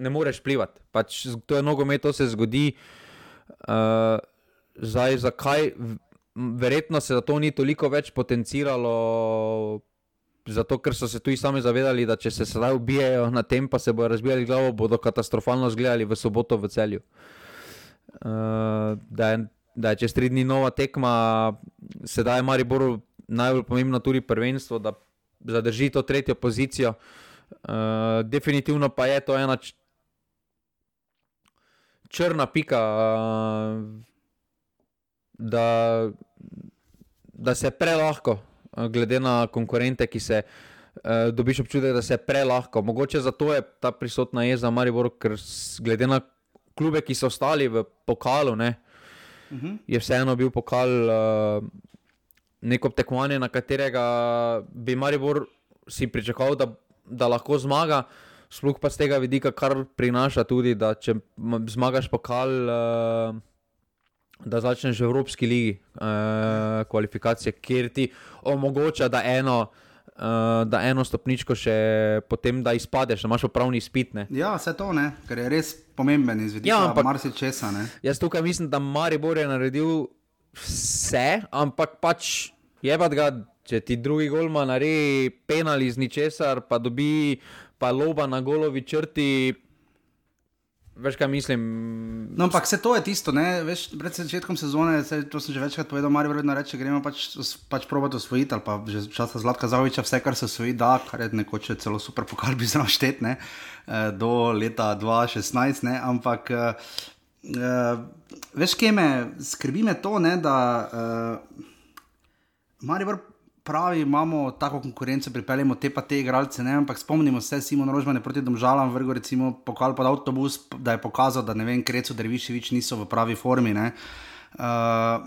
ne moreš plivati. Pač to je nogomet, to se zgodi. Uh, zdaj, zakaj? Verjetno se za to ni toliko več potenciralo, zato ker so se tudi sami zavedali, da če se sedaj ubijajo na tem, pa se bodo razbijali glavo, bodo katastrofalno zgledali v soboto v Celju. Uh, da, je, da je čez tri dni nova tekma, sedaj je Mariboru najbolj pomembno tudi prvenstvo, da zadrži to tretjo pozicijo. Uh, definitivno pa je to ena č- črna pika, uh, da, da se prelahko, glede na konkurente, ki se uh, dobiš občutek, da se prelahko. Mogoče zato je ta prisotna jeza Maribor, ker glede na klube, ki so ostali v pokalu, ne, uh-huh. je vseeno bil pokal uh, neko tekmovanje, na katerega bi Maribor si pričakoval, da, da lahko zmaga, sploh pa z tega vidika, kar prinaša tudi, da če zmagaš pokal, uh, da začneš v Evropski ligi uh, kvalifikacije, kjer ti omogoča, da eno, uh, da eno stopničko še potem, da izpadeš, da imaš upravni izpit, ne. Ja, vse to, ne, ker je res pomemben iz vidika, ja, marsičesa, ne. Jaz tukaj mislim, da Maribor je naredil vse, ampak pač jebat ga, če ti drugi golman naredi penal iz ničesar, pa dobi pa loba na golovi črti. Veš, kaj mislim? No, ampak vse to je tisto, ne, veš, pred začetkom sezone, to sem že večkrat povedal, Maribor vedno reče, gremo pač, pač probati osvojiti, ali pa že časa Zlatka Zahovića, vse, kar se osvoji, da, kar je nekoč celo super pokal bi znal štet, ne, do leta dva tisoč šestnajst, ne, ampak, uh, veš, kje me, skrbi me to, ne, da uh, Maribor pravi, imamo tako konkurenco, pripeljemo te pa te igralce, ne, ampak spomnimo se, Simon Rožman je proti Domžalam vrgel recimo pokal pod avtobus, da je pokazal, da ne vem, Krecu, Dervišević niso v pravi formi, ne. Uh,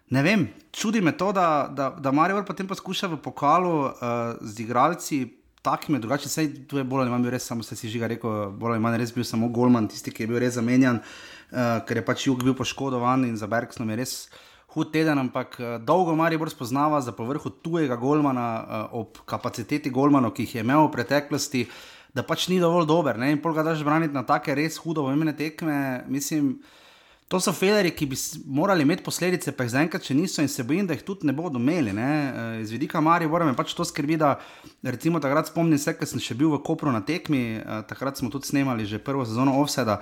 ne vem, čudi me to, da, da, da Maribor potem poskuša v pokalu uh, z igralci takimi drugače, sej tu je bolj ali manj bil res, samo se si Žiga rekel, bolj ali manj res bil samo golman, tisti, ki je bil res zamenjan, uh, ker je pač Jug bil poškodovan in za Bergsnom je res hud teden, ampak uh, dolgo Maribor spoznava za povrhu tujega golmana uh, ob kapaciteti golmanov, ki jih je imel v preteklosti, da pač ni dovolj dober, ne, in pol ga daš braniti na take res hudo pomembne tekme, mislim, to so felerji, ki bi morali imeti posledice, pa jih zaenkrat še niso in se bojim, da jih tudi ne bodo imeli, ne, iz vidika Maribora me pač to skrbi, da recimo takrat spomnim se, ker sem še bil v Kopru na tekmi, takrat smo tudi snemali že prvo sezono Offseda,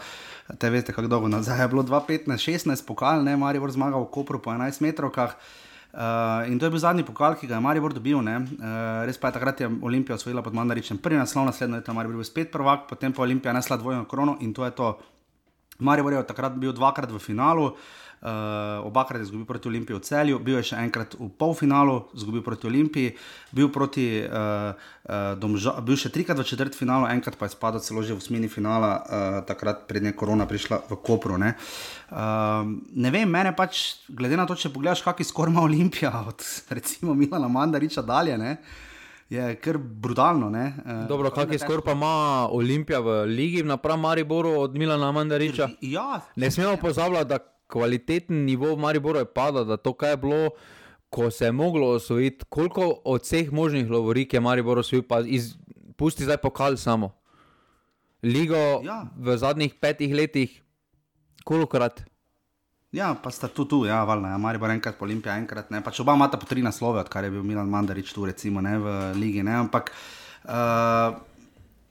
te veste, kako dolgo nazaj je bilo dva petnajst šestnajst pokal, ne, Maribor zmagal v Kopru po enajst metrovkah, uh, in to je bil zadnji pokal, ki ga je Maribor dobil, ne, uh, res pa je takrat je Olimpija osvojila pod Mandaričem prvi naslov, naslednjo leto Maribor bil spet prvak, potem pa Olimpija nesla dvojno krono in to je to. Maribor je takrat bil dvakrat v finalu, uh, obakrat je izgubil proti Olimpiji v Celju, bil je še enkrat v polfinalu, izgubil proti Olimpiji, bil, proti, uh, uh, domža, bil še trikrat v četrtfinalu, enkrat pa je spadal celo že v osmini finala, uh, takrat prednje korona prišla v Kopru. Ne, uh, ne vem, mene pač, glede na to, če pogledaš, kaki skor ima Olimpija od recimo Milana Mandariča dalje, ne, je kar brutalno, ne. Dobro, kak je skor pa ima Olimpija v ligi napram Mariboru od Milana Mandariča? Ja. Ne smemo pozabljati, da kvaliteten nivo v Mariboru je pada, da to, kaj je bilo, ko se je moglo osvojiti, koliko od vseh možnih lovorik je Maribor osvojil, pa iz, pusti zdaj pokal samo. Ligo ja. V zadnjih petih letih, kolikokrat? Ja, pa sta tu tu, ja, valjda, ja, Maribor enkrat, Olimpija enkrat, ne, pač oba imata po tri naslove, odkar je bil Milan Mandarič tu, recimo, ne, v ligi, ne, ampak uh,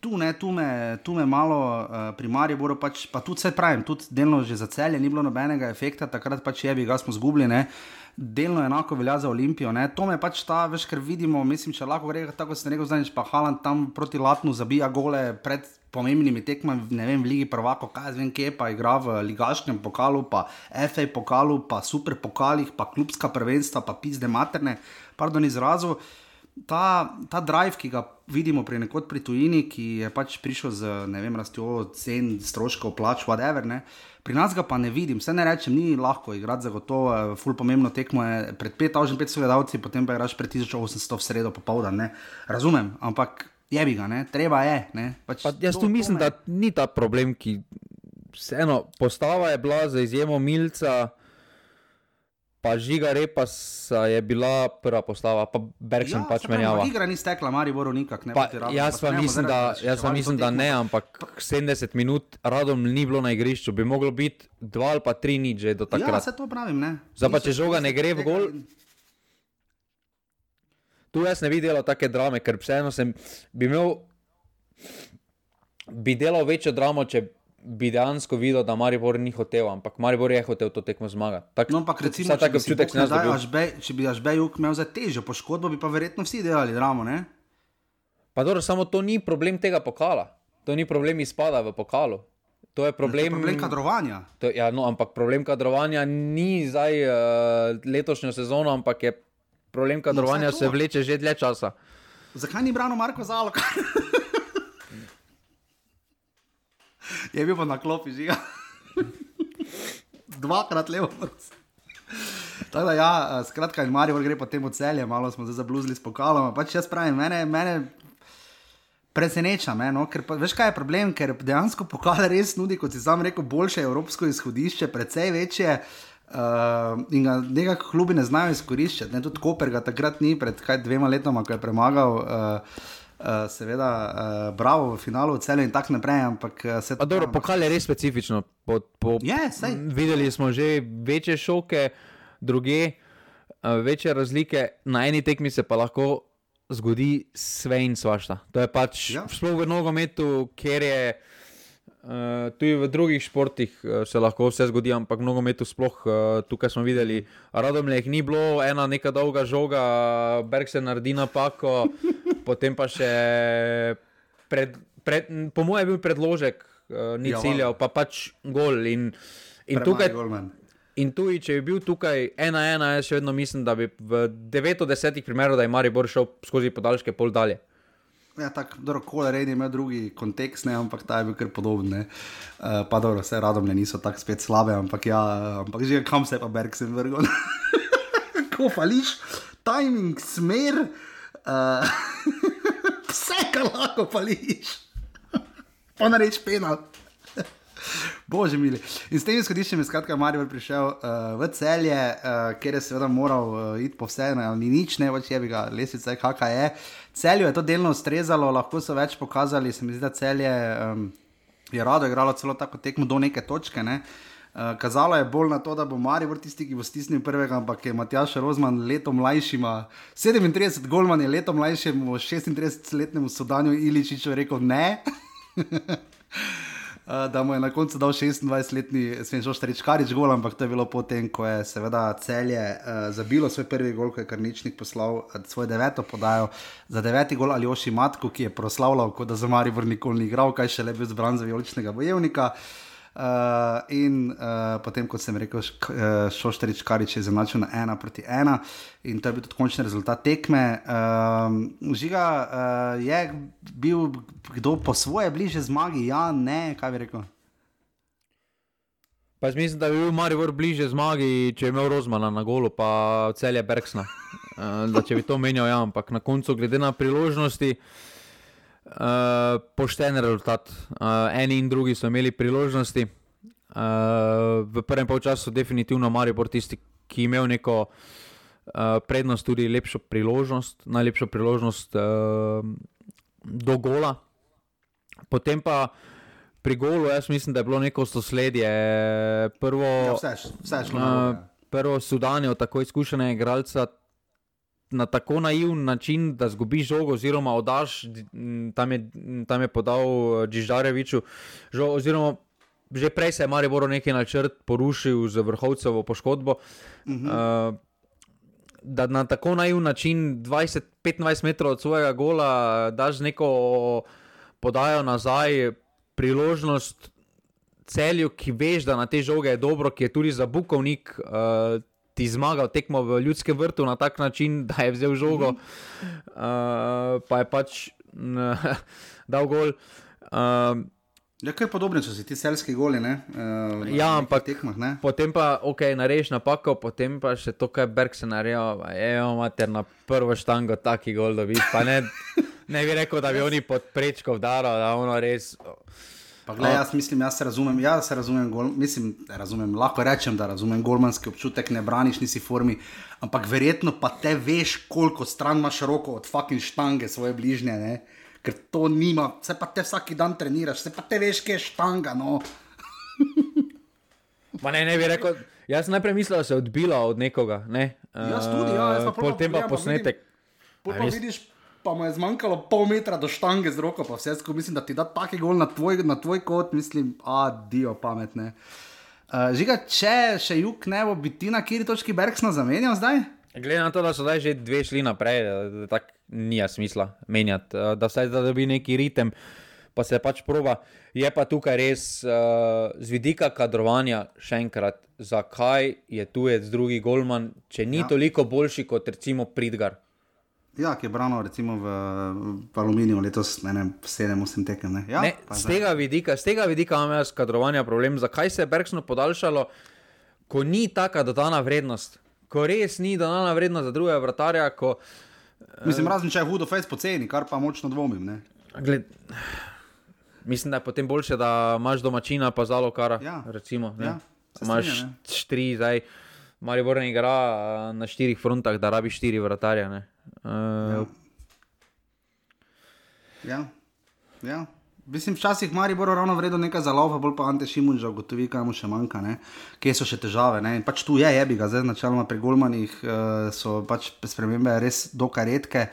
tu, ne, tu me, tu me malo uh, pri Mariboru pač, pa tudi se pravim, tudi delno že za Celje ni bilo nobenega efekta, takrat pač jebi ga smo zgubili, ne, delno enako velja za Olimpijo, ne, to me pač ta, veš, ker vidimo, mislim, če lahko gre, tako se ne rekel zdaj, pa Haaland tam proti Latnu zabija gole pred pomembnimi tekmami, ne vem, v Ligi prvakov, kaj zvem kje, pa igra v ligaškem pokalu, pa F A pokalu, pa super pokalih, pa klubska prvenstva, pa pizde materne, pardon izrazu, ta, ta drive, ki ga vidimo pri nekod pri tujini, ki je pač prišel z, ne vem, rastjo cen, stroškov, plač, whatever, ne, pri nas ga pa ne vidim, vse ne rečem, ni lahko igrati zagotovo, ful pomembno tekmo je pred pet tisoč petsto gledalci, potem pa igraš pred tisoč osemsto v sredo popoldan, ne, razumem, ampak jebi ga, ne, treba je, ne. Pač pa jaz tu mislim, da ni ta problem, ki vseeno, postava je bila za izjemo Milca, pa Žiga Repasa je bila prva postava, pa Bergson ja, pač menjava. Ja, igra ni stekla, Mariboru nikak, ne. Pa, jaz pa mislim, da, jaz pa mislim, da ne, ampak sedemdeset minut Radom ni bilo na igrišču, bi moglo biti dva ali pa tri nič že do takrat. Ja, se to pravim, ne. Zdaj pa, če žoga ne gre v gol, tu jaz ne bi delal take drame, ker vseeno sem, bi imel, bi delal večjo dramo, če bi dejansko videl, da Maribor ni hotel, ampak Maribor je hotel to tekmo zmagati. Tak, no, ampak recimo, če bi, občutek, ne daj, Ažbe, če bi Ažbejuk imel za težjo poškodbo, bi pa verjetno vsi delali dramo, ne? Pa dobro, samo to ni problem tega pokala. To ni problem izpada v pokalu. To je problem, to je problem kadrovanja. To, ja, no, ampak problem kadrovanja ni zdaj uh, letošnjo sezono, ampak je problem kadrovanja no, se vleče že dlje časa. Zakaj ni branil Marko Zalok? Je bil pa na klopi, Žiga. Dvakrat levo. Tako da ja, skratka, in Maribor gre potem v Celje, malo smo zdaj zabluzili s pokalom, pač jaz pravim, mene, mene preseneča, me, no? Ker pa, veš kaj je problem, ker dejansko pokal res nudi, kot si sam rekel, boljše evropsko izhodišče, precej večje, Uh, in ga nekako klubi ne znajo izkoriščati, ne, tudi Koper ga takrat ni pred kaj dvema letoma, ko je premagal uh, uh, seveda uh, Bravo v finalu v Celju in tak naprej, ampak uh, se to... Dobro, pokal je res specifično, po, po, yeah, videli smo že večje šoke, druge, uh, večje razlike, na eni tekmi se pa lahko zgodi sve in svašta, to je pač yeah. Sploh v nogometu, ker je Uh, tudi v drugih športih uh, se lahko vse zgodi, ampak v nogometu sploh uh, tukaj smo videli, Radomljah ni bilo, ena neka dolga žoga, Berg se naredi napako, potem pa še pred, pred, po mojem je bil predložek, uh, ni ja, ciljal, pa pač gol in, in tukaj, In tudi, če bi bil tukaj ena ena, jaz še vedno mislim, da bi v devet od desetih primerov, da je Maribor šel skozi podaljške pol dalje. Ja, tako, dobro, Kola Rejn je imel drugi kontekst, ne, ampak ta je bil kar podoben, ne. Uh, pa dobro, vse Radomlje niso tako spet slabe, ampak ja, ampak že kam se je pa Bergsen vrgel. Kako fališ, timing, smer, uh, vse, kar lahko fališ. Pa nareč penal. Bože mili. In s tem izhodiščem je skratka Maribor prišel uh, v Celje, uh, kjer je seveda moral uh, iti po vse, ne, ni nič, ne, več je bi ga lesvica, kakaj je. Celju je to delno ustrezalo, lahko so več pokazali, se mi zdi, da Celje um, je rado igralo celo tako tekmo do neke točke, ne. Uh, kazalo je bolj na to, da bo Maribor tisti, ki bo stisnil prvega, ampak je Matjaž Rozman leto mlajšima, sedemintrideset golman je leto mlajšemu šestintridesetletnemu Sodanju Iličiču rekel ne. Uh, da mu je na koncu dal šestindvajsetletni Svenčo Štarič-Karič gol, ampak to je bilo potem, ko je seveda Celje uh, zabilo svoj prvi gol, ko je Karničnik poslal uh, svoj deveto podajo za deveti gol Aljoši Matku, ki je proslavljal, kot da za Maribor nikoli ni igral, kaj še le bil zbran za vijoličnega bojevnika. Uh, in uh, potem, kot sem rekel, Šoštarič Karič je zamačil na ena proti ena in to je bil tudi končni rezultat tekme. Uh, Žiga, uh, je bil kdo po svoje bliže zmagi? Ja, ne, kaj bi rekel? Pa jaz mislim, da bi bil Maribor bliže zmagi, če je imel Rozmana na golu, pa Celje Bergsna. Uh, da če bi to menjal, ja, ampak na koncu, glede na priložnosti, Uh, pošten rezultat. Uh, eni in drugi so imeli priložnosti. Uh, v prvem polčasu definitivno Maribor tisti, ki je imel neko uh, prednost, tudi lepšo priložnost, najlepšo priložnost uh, do gola. Potem pa pri golu, jaz mislim, da je bilo neko sosledje. Prvo, ja, vse, vse šlo na uh, prvo Sudanjo, tako izkušenega igralca, na tako naivn način, da zgubiš žogo oziroma odaš, tam je, tam je podal Džiždareviču žogo, oziroma že prej se je Mariboru neki načrt porušil z Vrhovcevo poškodbo, uh-huh. uh, da na tako naivn način dvajset do petindvajset metrov od svojega gola daš neko podajo nazaj, priložnost Celju, ki veš, da na te žoge je dobro, ki je tudi za Bukovnik uh, ti zmagal tekmo v Ljudskem vrtu na tak način, da je vzel žogo, uh, pa je pač uh, dal gol. Uh, ja, kaj podobne so si ti celski goli, ne? Uh, ja, ampak tekmah, ne? Potem pa, ok, nareš napako, potem pa še to, kaj Bergsen naredil, evo mater, na prvo štango taki gol dobiš, pa ne, ne bi rekel, da bi oni pod prečko vdaral, da ono res... Pa gled, jaz mislim, jaz se razumem, jaz se razumem, gol, mislim, razumem, lahko rečem, da razumem golmanski občutek, ne braniš, nisi formi, ampak verjetno pa te veš, koliko stran imaš roko od fucking štange svoje bližnje, ne, ker to nima, se pa te vsaki dan treniraš, se pa te veš, kje je štanga, no. Pa ne, ne bi rekel, jaz sem najprej mislil, da se je odbila od nekoga, ne. Jaz tudi, ja, jaz pa potem pa posnetek. Pol pa vidiš, pa mu je zmanjkalo pol metra do štange z roko, pa vse skupaj, mislim, da ti da taki gol na tvoj, na tvoj kot, mislim, adio pametne. Uh, Žiga, če še Juk ne bo, bi ti na kjeri točki Bergsna zamenjal zdaj? Glede na to, da so zdaj že dve šli naprej, tako nija smisla menjati, da vsaj da dobi neki ritem, pa se pač proba. Je pa tukaj res uh, z vidika kadrovanja še enkrat, zakaj je tujec drugi golman, če ni ja. toliko boljši kot recimo Pridgar. Ja, ki je branil recimo v, v Aluminiju letos, ne vem, sedem osem tekem, ne? Ja, ne, z tega vidika, z tega vidika imam jaz kadrovanja problem, zakaj se je Bergsno podaljšalo, ko ni taka dodana vrednost, ko res ni dodana vrednost za drugega vratarja, ko... Mislim, razen če je hudo fejs poceni, kar pa močno dvomim, ne? Gled, mislim, da je potem boljše, da imaš domačina pa Zalokara, ja. recimo, ne? Ja, imaš štiri zdaj, Maribor ne igra na štirih frontah, da rabi štiri vratarja, ne? Uh, ja. ja, ja. Mislim, včasih Maribor ravno vredo nekaj zalova, bolj pa Ante Šimunža ugotovi, kaj mu še manjka, ne? Kje so še težave, ne? In pač tu je, jebi ga, zdaj načeloma pri golmanih uh, so pač spremembe res dokaj redke,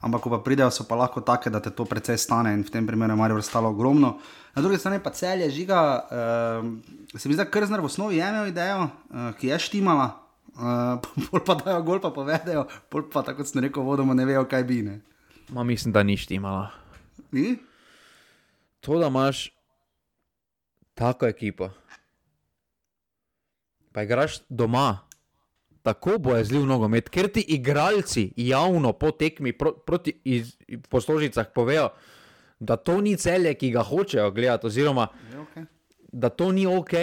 ampak ko pa pridejo, so pa lahko take, da te to precej stane in v tem primeru je Maribor stalo ogromno. Na drugi strani pa Celje, Žiga, uh, se mi zda, Krzner v osnovi je imel idejo, uh, ki je štimala, uh, bolj pa dajo gol, pa povedejo, bolj pa tako, kot sem rekel, vodoma ne vejo, kaj bi, ne? Ma mislim, da ni štimala. Ni? To, da imaš tako ekipo, pa igraš doma, tako bojazljiv nogomet, ker ti igralci javno po tekmi pro, proti iz, po Stožicah povejo, da to ni Celje, ki ga hočejo gledati, oziroma okay. da to ni ok.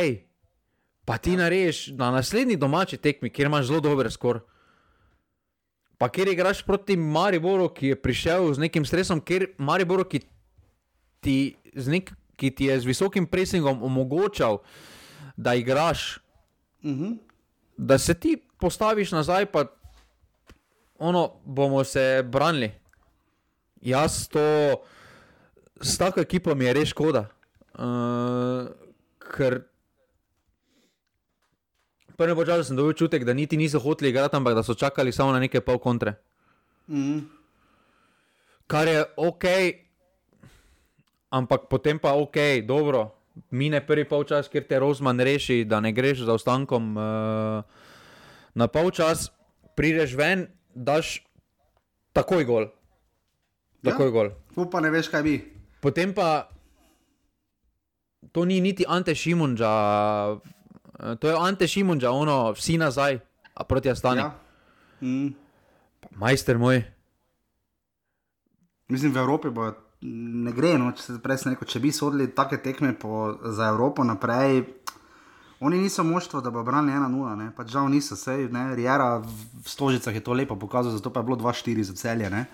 Pa ti ja. narediš na naslednji domači tekmi, kjer imaš zelo dober skor. Pa kjer igraš proti Mariboru, ki je prišel z nekim stresom, kjer Mariboru, ki ti, z nek, ki ti je z visokim presingom omogočal, da igraš, uh-huh. da se ti postaviš nazaj, pa ono, bomo se branili. Jaz to, s tako ekipo mi je res škoda, uh, ker prvi počas sem dobil čutek, da niti niso hoteli igrati, ampak da so čakali samo na neke pol kontre. Mm. Kar je ok, ampak potem pa ok, dobro, mine prvi polčas, kjer te Rozman reši, da ne greš za ostankom uh, na polčas, prideš ven, daš takoj gol. Takoj ja, gol. Tu pa ne veš, kaj bi. Potem pa to ni niti Ante Šimunđa, to je Ante Šimunđa, ono, vsi nazaj, a proti Astani. Ja. Mm. Majster moj. Mislim, v Evropi bo ne gre, no, če se presne neko, če bi sodili take tekme po, za Evropo naprej, oni niso moštvo, da bo branili ena nula, ne, pač žal niso, sej, ne, Riera v Stožicah je to lepo pokazal, zato pa je bilo dva štiri za Celje, ne.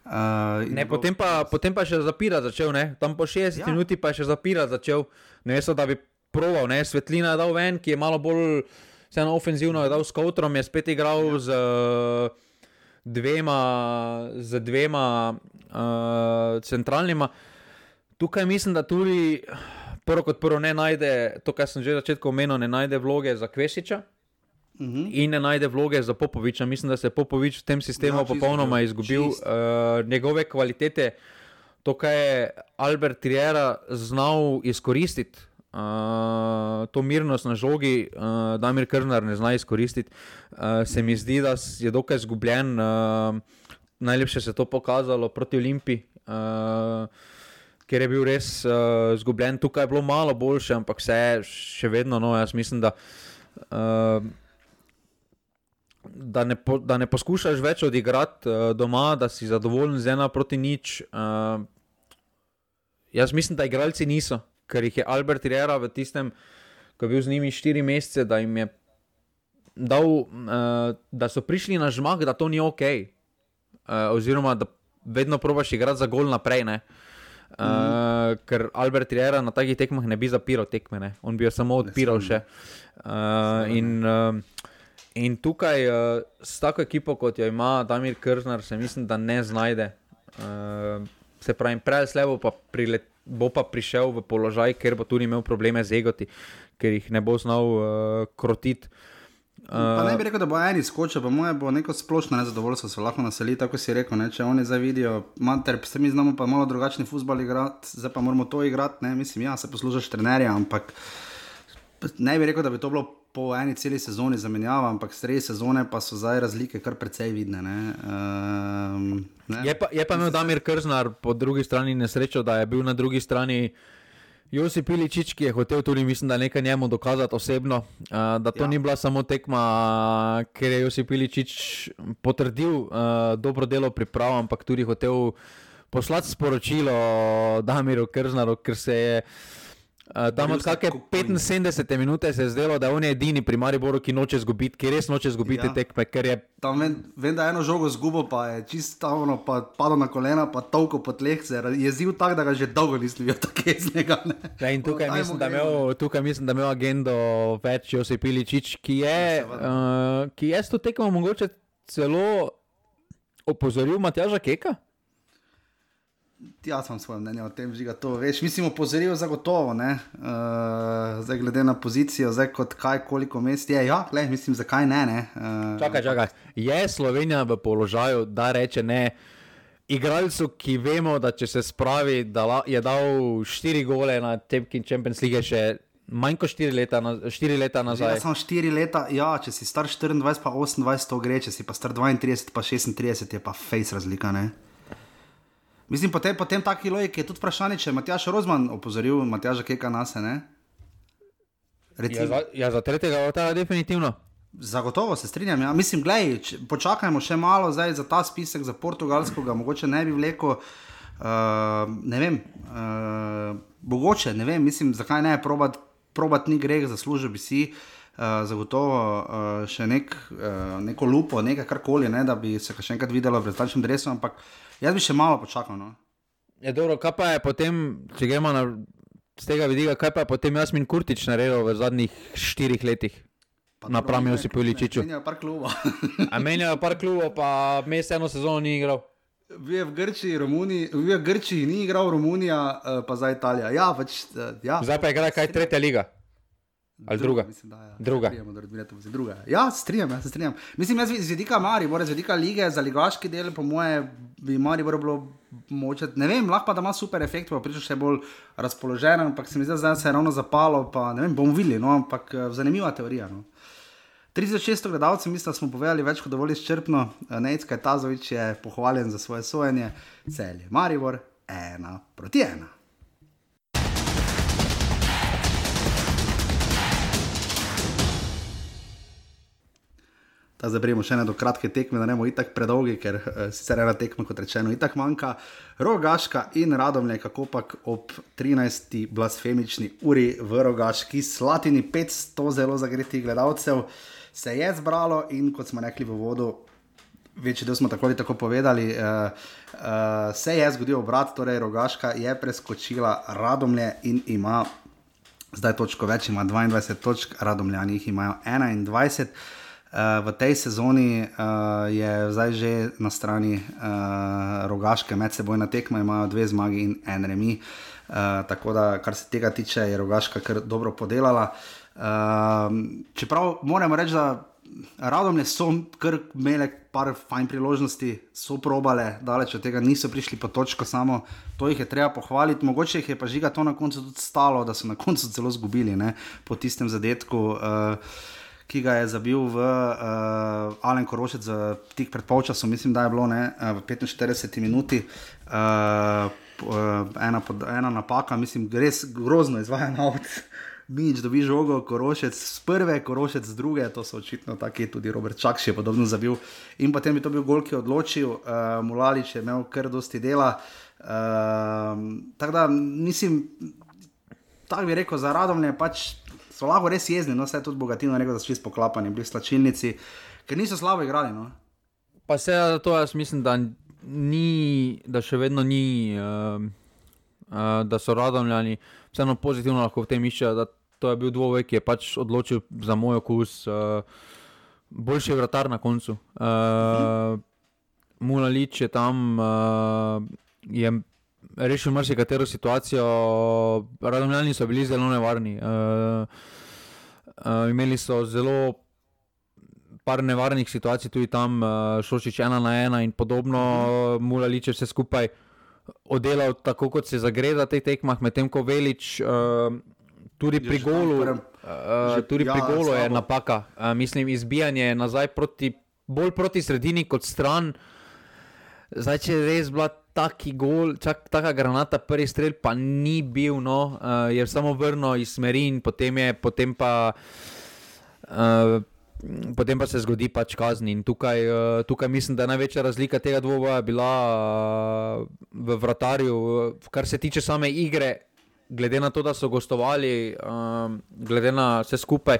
Uh, ne, potem pa, potem pa še zapira začel, ne, tam po šestdeset ja. minuti pa je še zapira začel, ne so, da bi proval, ne, Svetlina je dal ven, ki je malo bolj vseeno ofenzivno, je dal s Koutrom, je spet igral ja. z dvema, z dvema uh, centralnima. Tukaj mislim, da tudi prvo kot prvo ne najde, to kar sem že začetku omenil, ne najde vloge za Kvesiča uh-huh. in ne najde vloge za Popoviča. Mislim, da se je Popovič v tem sistemu ja, popolnoma čist, izgubil. Uh, njegove kvalitete, to, kaj je Albert Riera znal izkoristiti, Uh, to mirnost na žogi uh, Damir Krnar ne zna izkoristiti, uh, se mi zdi, da je dokaj zgubljen, uh, najlepše se to pokazalo proti Olimpiji, uh, ker je bil res uh, zgubljen, tukaj je bilo malo boljše, ampak vse še vedno, no, jaz mislim, da uh, da, ne po, da ne poskušaš več odigrati uh, doma, da si zadovoljen z ena proti nič. Uh, jaz mislim, da igralci niso, ker jih je Albert Riera v tistem, ko je bil z njimi štiri mesece, da jim je dal, uh, da so prišli na žmah, da to ni ok, uh, oziroma da vedno probaš igrati za gol naprej, ne. Uh, mm. Ker Albert Riera na takih tekmah ne bi zapiral tekme, ne. On bi jo samo odpiral še. Uh, in, uh, in tukaj uh, s tako ekipo, kot jo ima Damir Krnar, se mislim, da ne znajde. Uh, se pravi, prej slevo pa prilet bo pa prišel v položaj, ker bo tudi imel probleme z egoti, ker jih ne bo znal uh, krotiti. Uh, pa ne bi rekel, da bo eni skočil, pa moje bo neko splošno nezadovoljstvo se lahko naseli, tako si rekel, ne? Če oni zdaj vidijo, mater, se mi znamo pa malo drugačni futbol igrati, zdaj pa moramo to igrati, ne, mislim, ja, se poslužaš trenerja, ampak ne bi rekel, da bi to bilo po eni celi sezoni zamenjava, ampak sredi sezone pa so zdaj razlike kar precej vidne, ne. Um, ne? Je pa, je pa imel Damir Krnar po drugi strani nesrečo, da je bil na drugi strani Josip Iličić, ki je hotel tudi, mislim, da nekaj njemu dokazati osebno, uh, da to ja. ni bila samo tekma, ker je Josip Iličić potrdil uh, dobro delo priprav, ampak tudi hotel poslati sporočilo Damiru Krznaru, ker se je Uh, tam od kakšne petinsedemdesete minute se je zdelo, da on je edini pri Mariboru, ki noče zgubiti, ki res noče zgubiti ja. tekme, ker je... Tam vem, vem, da eno žogo zgubo, pa je čisto ono, pa padal na kolena, pa tolko po tleh, se je zil tak, da ga že dolgo nisem videl tako jeznega, ne. Ja, in tukaj, mislim, da imel, tukaj mislim, da imel agendo več Josip Iličić, ki je, ja, uh, ki je s to tekmo mogoče celo opozoril Matjaža Keka. Jaz sem svoje mnenje o tem, žiga to, veš, mislim, opozoril zagotovo, ne, uh, zdaj glede na pozicijo, zdaj kot kaj, koliko mest je, ja, gled, mislim, zakaj ne, ne. Uh, čakaj, čakaj, je Slovenija v položaju, da reče ne igralcu, ki vemo, da če se spravi, da je dal štiri gole na tekmi Champions League še manj kot štiri leta, štiri leta nazaj. Ja, samo štiri leta, ja, če si star štiriindvajset pa osemindvajset to gre, če si pa star dvaintrideset pa šestintrideset je pa face razlika, ne. Mislim, potem, potem taki logiki je tudi vprašanje, če je Matjaž Rozman opozoril Matjaža Keka nase, ne? Ja, za, ja, za tretjega vrata definitivno. Zagotovo se strinjam. Ja. Mislim, glej, če, počakajmo še malo zdaj za ta spisek, za portugalskega, mogoče ne bi vleko, uh, ne vem, uh, mogoče, ne vem, mislim, zakaj ne, probat, probat ni greh, zaslužil bi si uh, zagotovo uh, še nek, uh, neko lupo, nekaj karkoli, ne, da bi se še enkrat videlo v brezplačnem dresu, ampak jaz bi še malo počakal. No. Ja, dobro, kaj pa je potem, če gremo na, z tega vidika, kaj pa je potem Jasmin Kurtić naredil v zadnjih štirih letih? Napram Josipu Iličiću. Menjajo par klubov. A menjajo par klubov, pa mes eno sezono ni igral. Bil je v Grčiji, Romuniji, bil je v Grčiji, ni igral Romunija, pa za Italija. Ja, pač, ja. Zdaj pa igra kaj tretja liga? Ali druga? Mislim, da, ja. Druga. druga. Ja, se strinjam, ja, se strinjam. Mislim, jaz z vidika Maribora, z vidika lige, za ligaški del, po moje, bi Maribor bilo moče, ne vem, lahko pa da ima super efekt, pa priča še bolj razpoložen, ampak se mi zdaj, zdaj se je ravno zapalo, pa ne vem, bomo videli, no, ampak zanimiva teorija, no. tri tisoč šeststo gledalcev, mislim, da smo povedali več kot dovolj izčrpno. Nejc Kajtazović je pohvaljen za svoje sojenje. Celje Maribor, ena proti ena. Zdaj prijemo še ene do kratke tekme, da ne bomo itak predolgi, ker uh, sicer ena tekma, kot rečeno, itak manjka. Rogaška in Radomlje, kako pak ob trinajsti blasfemični uri v Rogaški Slatini, petsto zelo zagretih gledalcev se je zbralo in kot smo rekli v vodu, večji del smo tako ali tako povedali, uh, uh, se je zgodil obrat, torej Rogaška je preskočila Radomlje in ima zdaj točko več, ima dvaindvajset točk, Radomljani jih imajo enaindvajset. Uh, v tej sezoni uh, je zdaj že na strani uh, Rogaške medsebojna tekma, imajo dve zmagi in en remi, uh, tako da kar se tega tiče je Rogaška kar dobro podelala. Uh, čeprav moramo reči, da Radomlje so kar imele par fajn priložnosti, so probale, daleč od tega niso prišli po točko samo, to jih je treba pohvaliti, mogoče jih je pa Žiga to na koncu tudi stalo, da so na koncu celo zgubili, ne, po tistem zadetku, uh, ki ga je zabil v uh, Alen Korošec uh, tik pred polčasom, mislim, da je bilo ne, uh, v petinštirideseti minuti, uh, uh, ena, pod, ena napaka, mislim, res grozno izvajan avt. Mič dobi žogo, Korošec z prve, Korošec z druge, to so očitno taki, tudi Robert Čakš je podobno zabil in potem bi to bil gol, ki je odločil, uh, Mulalić je imel kar dosti dela, uh, tako da mislim, tako bi rekel, za Radomlje pač so lahko res jezni, no, se je tudi Bogatino rekel, da so čisto poklapani, bili slačilnici, ker niso slabo igrali, no. Pa se to jaz mislim, da ni, da še vedno ni, uh, uh, da so Radomljani vseeno pozitivno lahko v tem iščejo, da to je bil dvoboj, ki je pač odločil za moj okus, uh, boljši vratar na koncu. Uh, Mulalić je tam, uh, je rešil marsikatero situacijo, Radomljani so bili zelo nevarni. Uh, uh, imeli so zelo par nevarnih situacij tudi tam, uh, Šošić ena na ena in podobno, Mulalić je vse skupaj oddelal tako, kot se zagreda tej tekmah, medtem ko Velić uh, tudi pri golu, uh, tudi pri golu je napaka. Uh, mislim, izbijanje nazaj proti, bolj proti sredini kot stran. Zdaj, če je res bila taki gol, čak taka granata, prvi strel pa ni bil, no, uh, je samo vrnil iz smeri in potem je, potem pa uh, potem pa se zgodi pač kazni in tukaj, uh, tukaj mislim, da je največja razlika tega dvoboja bila uh, v vratarju, kar se tiče same igre, glede na to, da so gostovali, uh, glede na vse skupaj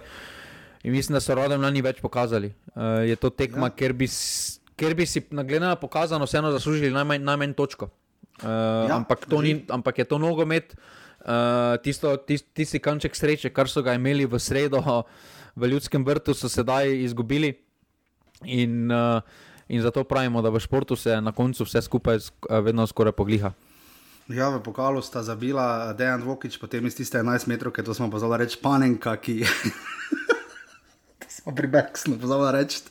in mislim, da so Radomljani več pokazali. Uh, je to tekma, ja. Ker bi Ker bi si glede na pokazano vseeno zaslužili najmanj, najmanj točko. Uh, ja, ampak, to ni, ampak je to nogomet, uh, tisto, tist, tisti kanček sreče, kar so ga imeli v sredo v Ljudskem vrtu, so sedaj izgubili. In, uh, in zato pravimo, da v športu se na koncu vse skupaj vedno skoraj pogliha. Ja, v pokalu sta zabila Dejan Dvokić, potem iz tiste enajst metrov, to smo pozvala reči Panenka, ki to smo pri Beksnu pozvala reči.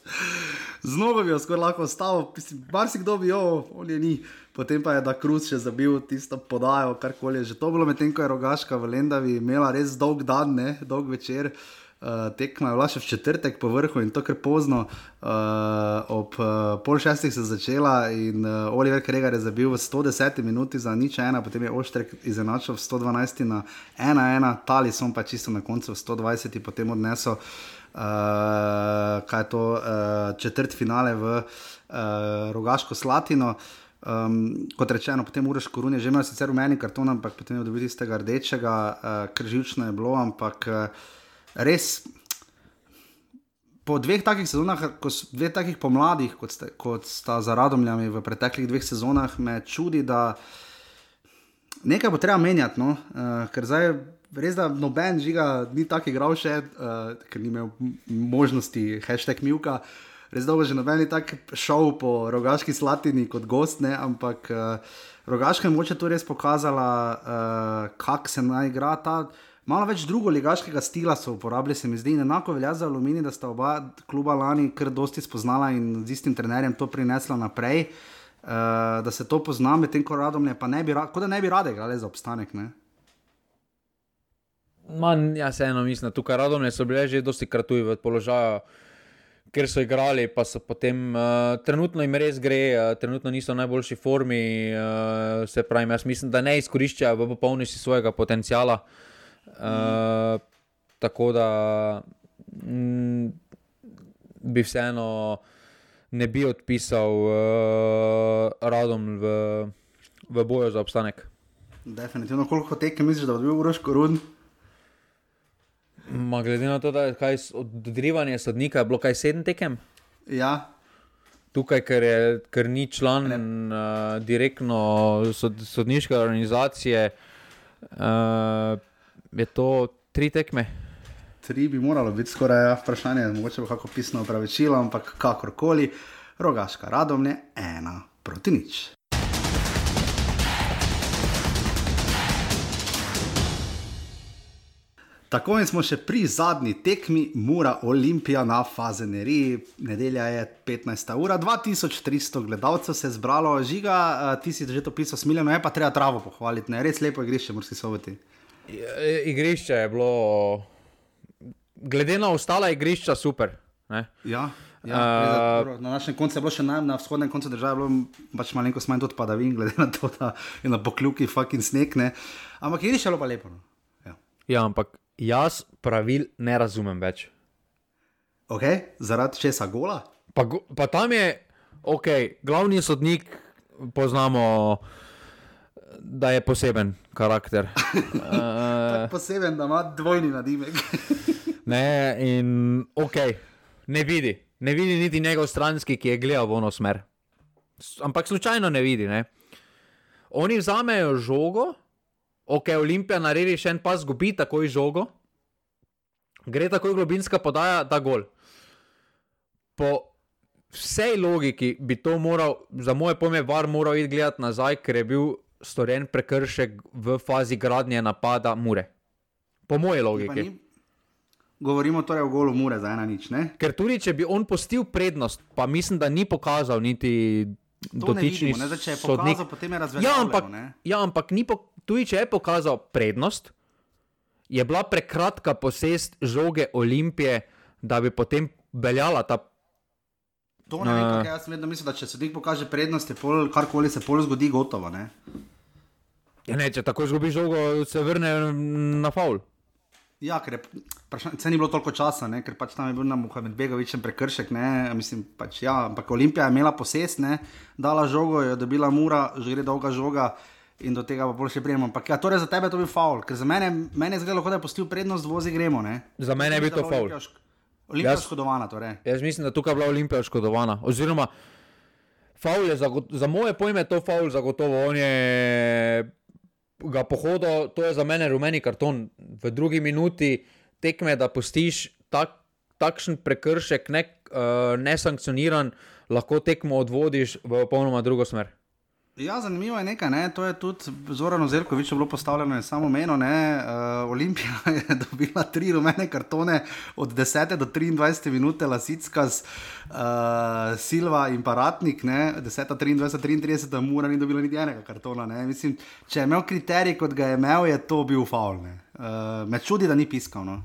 Znova bi jo skoraj lahko ostalo, bar si kdo bi jo, on je ni, potem pa je da Kruz še zabil tisto podajo, karkoli je že to bilo, medtem ko je Rogaška v Lendavi imela res dolg dan, ne, dolg večer. Uh, tekma je bila še v četrtek po vrhu in to kar pozno, uh, ob uh, pol šestih se začela in uh, Oliver Kregar je zabil v sto deseti minuti za nič ena, potem je Oštrek izenačil v sto dvanajsti na ena ena, Talisson pa čisto na koncu v sto dvajseti potem odnesel uh, kaj je to, uh, četrt finale v uh, Rogaško Slatino. Um, kot rečeno, potem Uroš Korun je že imel sicer rumeni karton, ampak potem je dobil tistega rdečega, uh, kar živčno je bilo, ampak uh, res, po dveh takih sezonah, ko so dveh takih pomladih, kot, ste, kot sta za Radomljami v preteklih dveh sezonah, me čudi, da nekaj bo treba menjati, no? uh, ker zdaj res, da noben Žiga ni tak igral še, uh, ker ni imel možnosti hashtag Milka, res dolgo že noben ni tak šel po Rogaški Slatini kot gost, ne? Ampak uh, Rogaška je moče tu res pokazala, uh, kak se naj igra ta. Malo več drugoligaškega stila so uporabljali, se mi zdi, in enako velja za Aluminij, da sta oba kluba lani kar dosti spoznala in z istim trenerjem to prinesla naprej, uh, da se to pozna, medtem ko Radomlje pa ne bi, kot da ne bi rade igrali za obstanek, ne? Man, ja, se eno mislim, tukaj Radomlje so bile že dosti kratuji v položaju, ker so igrali, pa so potem, uh, trenutno jim res gre, uh, trenutno niso v najboljši formi, uh, se pravim, jaz mislim, da ne izkoriščajo v popolnosti svojega potencijala. Uh, tako da mm, bi vseeno ne bi odpisal uh, Radom v, v boju za obstanek. Definitivno, koliko tekem misliš, da bo bil Uroš Korun? Ma glede na to, da je kaj odrivanje sodnika, je bilo kaj sedem tekem? Ja. Tukaj, ker, je, ker ni član uh, direktno sod, sodniške organizacije, uh, je to tri tekme? Tri bi moralo biti skoraj, ja, vprašanje, mogoče bo kako pisno opravičilo, ampak kakorkoli, Rogaška Radomlje ena proti nič. Tako in smo še pri zadnji tekmi, Mura Olimpija na Fazeneriji, nedelja je petnajsta ura, dva tisoč tristo gledalcev se je zbralo. Žiga, ti si že to pisal smiljeno, je pa treba travo pohvaliti, ne? Res lepo igrišče, Murski Soboti. Igrišče je bilo, glede na ostala igrišča, super. Ne? Ja, ja uh, na našem koncu je bilo še naj, na vzhodnem koncu države, bilo pač malenko smanj tudi padavin, glede na to, da je na pokljuki fucking sneg, ne. Ampak igrišče je bilo pa lepo. No? Ja. Ja, ampak jaz pravil ne razumem več. Ok, zaradi česa gola? Pa, pa tam je, ok, glavni sodnik poznamo, da je poseben karakter. uh, poseben, da ima dvojni nadimek. Ne, in ok, ne vidi, ne vidi niti njegov stranski, ki je gledal v ono smer. Ampak slučajno ne vidi, ne. Oni vzamejo žogo, ok, Olimpija naredi še en pas, gubi takoj žogo, gre takoj globinska podaja, da gol. Po vsej logiki bi to moral, za moje pojme, V A R moral iti gledati nazaj, ker je bil storjen prekršek v fazi gradnje napada Mure. Po moje logiki. Govorimo torej o golu Mure za ena nič, ne? Ker tudi, če bi on postil prednost, pa mislim, da ni pokazal niti dotični sodnik. Če je pokazal, potem je razveljavljeno, ja, ampak, ne? Ja, ampak ni po, tudi, če je pokazal prednost, je bila prekratka posest žoge Olimpije, da bi potem veljala ta. To ne vem, uh, jaz vedno mislim, da če sodnik pokaže prednost, je pol, karkoli se pol zgodi, gotovo, ne? Ja, ne, če tako zgubi žogo, se vrne na faul. Ja, ker je, se ni bilo toliko časa, ne, ker pač tam je bil na Muhamedbegovičem prekršek, ne, mislim, pač ja, ampak Olimpija je imela posest, ne, dala žogo, je dobila Mura, že gre dolga žoga in do tega pa bolj še prijemo. Ampak ja, torej za tebe to bi faul, ker za mene, mene je zgledalo, kot da je postil prednost, vozi gremo, ne. Za mene je bil to faul. Olimpija je škodovana, torej. Jaz mislim, da tukaj je bila Olimpija škodovana, oziroma faul je, za, za moje pojme to faul zagotovo, on je ga pohodo, to je za mene rumeni karton. V drugi minuti tekme, da pustiš tak, takšen prekršek ne, uh, nesankcioniran, lahko tekmo odvodiš v popolnoma drugo smer. Ja, zanimivo je nekaj, ne? To je tudi Zoranu Zelkoviću bilo postavljeno in samo meno, ne, uh, Olimpija je dobila tri rumene kartone od desete do triindvajsete minute, Lasickas, uh, Silva in Paratnik, ne, deseta, triindvajseta, triintrideset, Mura ni dobila niti enega kartona, ne, mislim, če je imel kriterij, kot ga je imel, je to bil faul, ne, uh, me čudi, da ni piskal, no.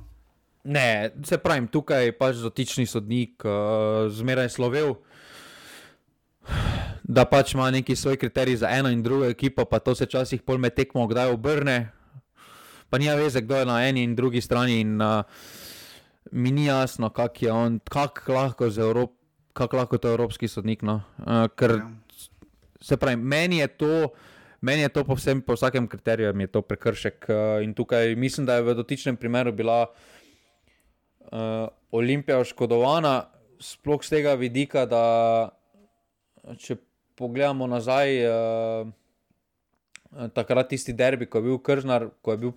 Ne, se pravim, tukaj pač dotični sodnik uh, zmeraj slovel, da pač ima neki svoj kriterij za eno in drugo ekipo, pa to se časih pol med tekmo kdaj obrne, pa nija veze, kdo je na eni in drugi strani in uh, mi ni jasno, kak je on, kak lahko, z Evrop, kak lahko to evropski sodnik, no, uh, ker ja. Se pravi, meni je to, meni je to po, vsem, po vsakem kriteriju mi je to prekršek uh, in tukaj mislim, da je v dotičnem primeru bila uh, Olimpija oškodovana, sploh z tega vidika, da če pogledamo nazaj, uh, takrat tisti derbi, ko je bil Kržnar, ko je bil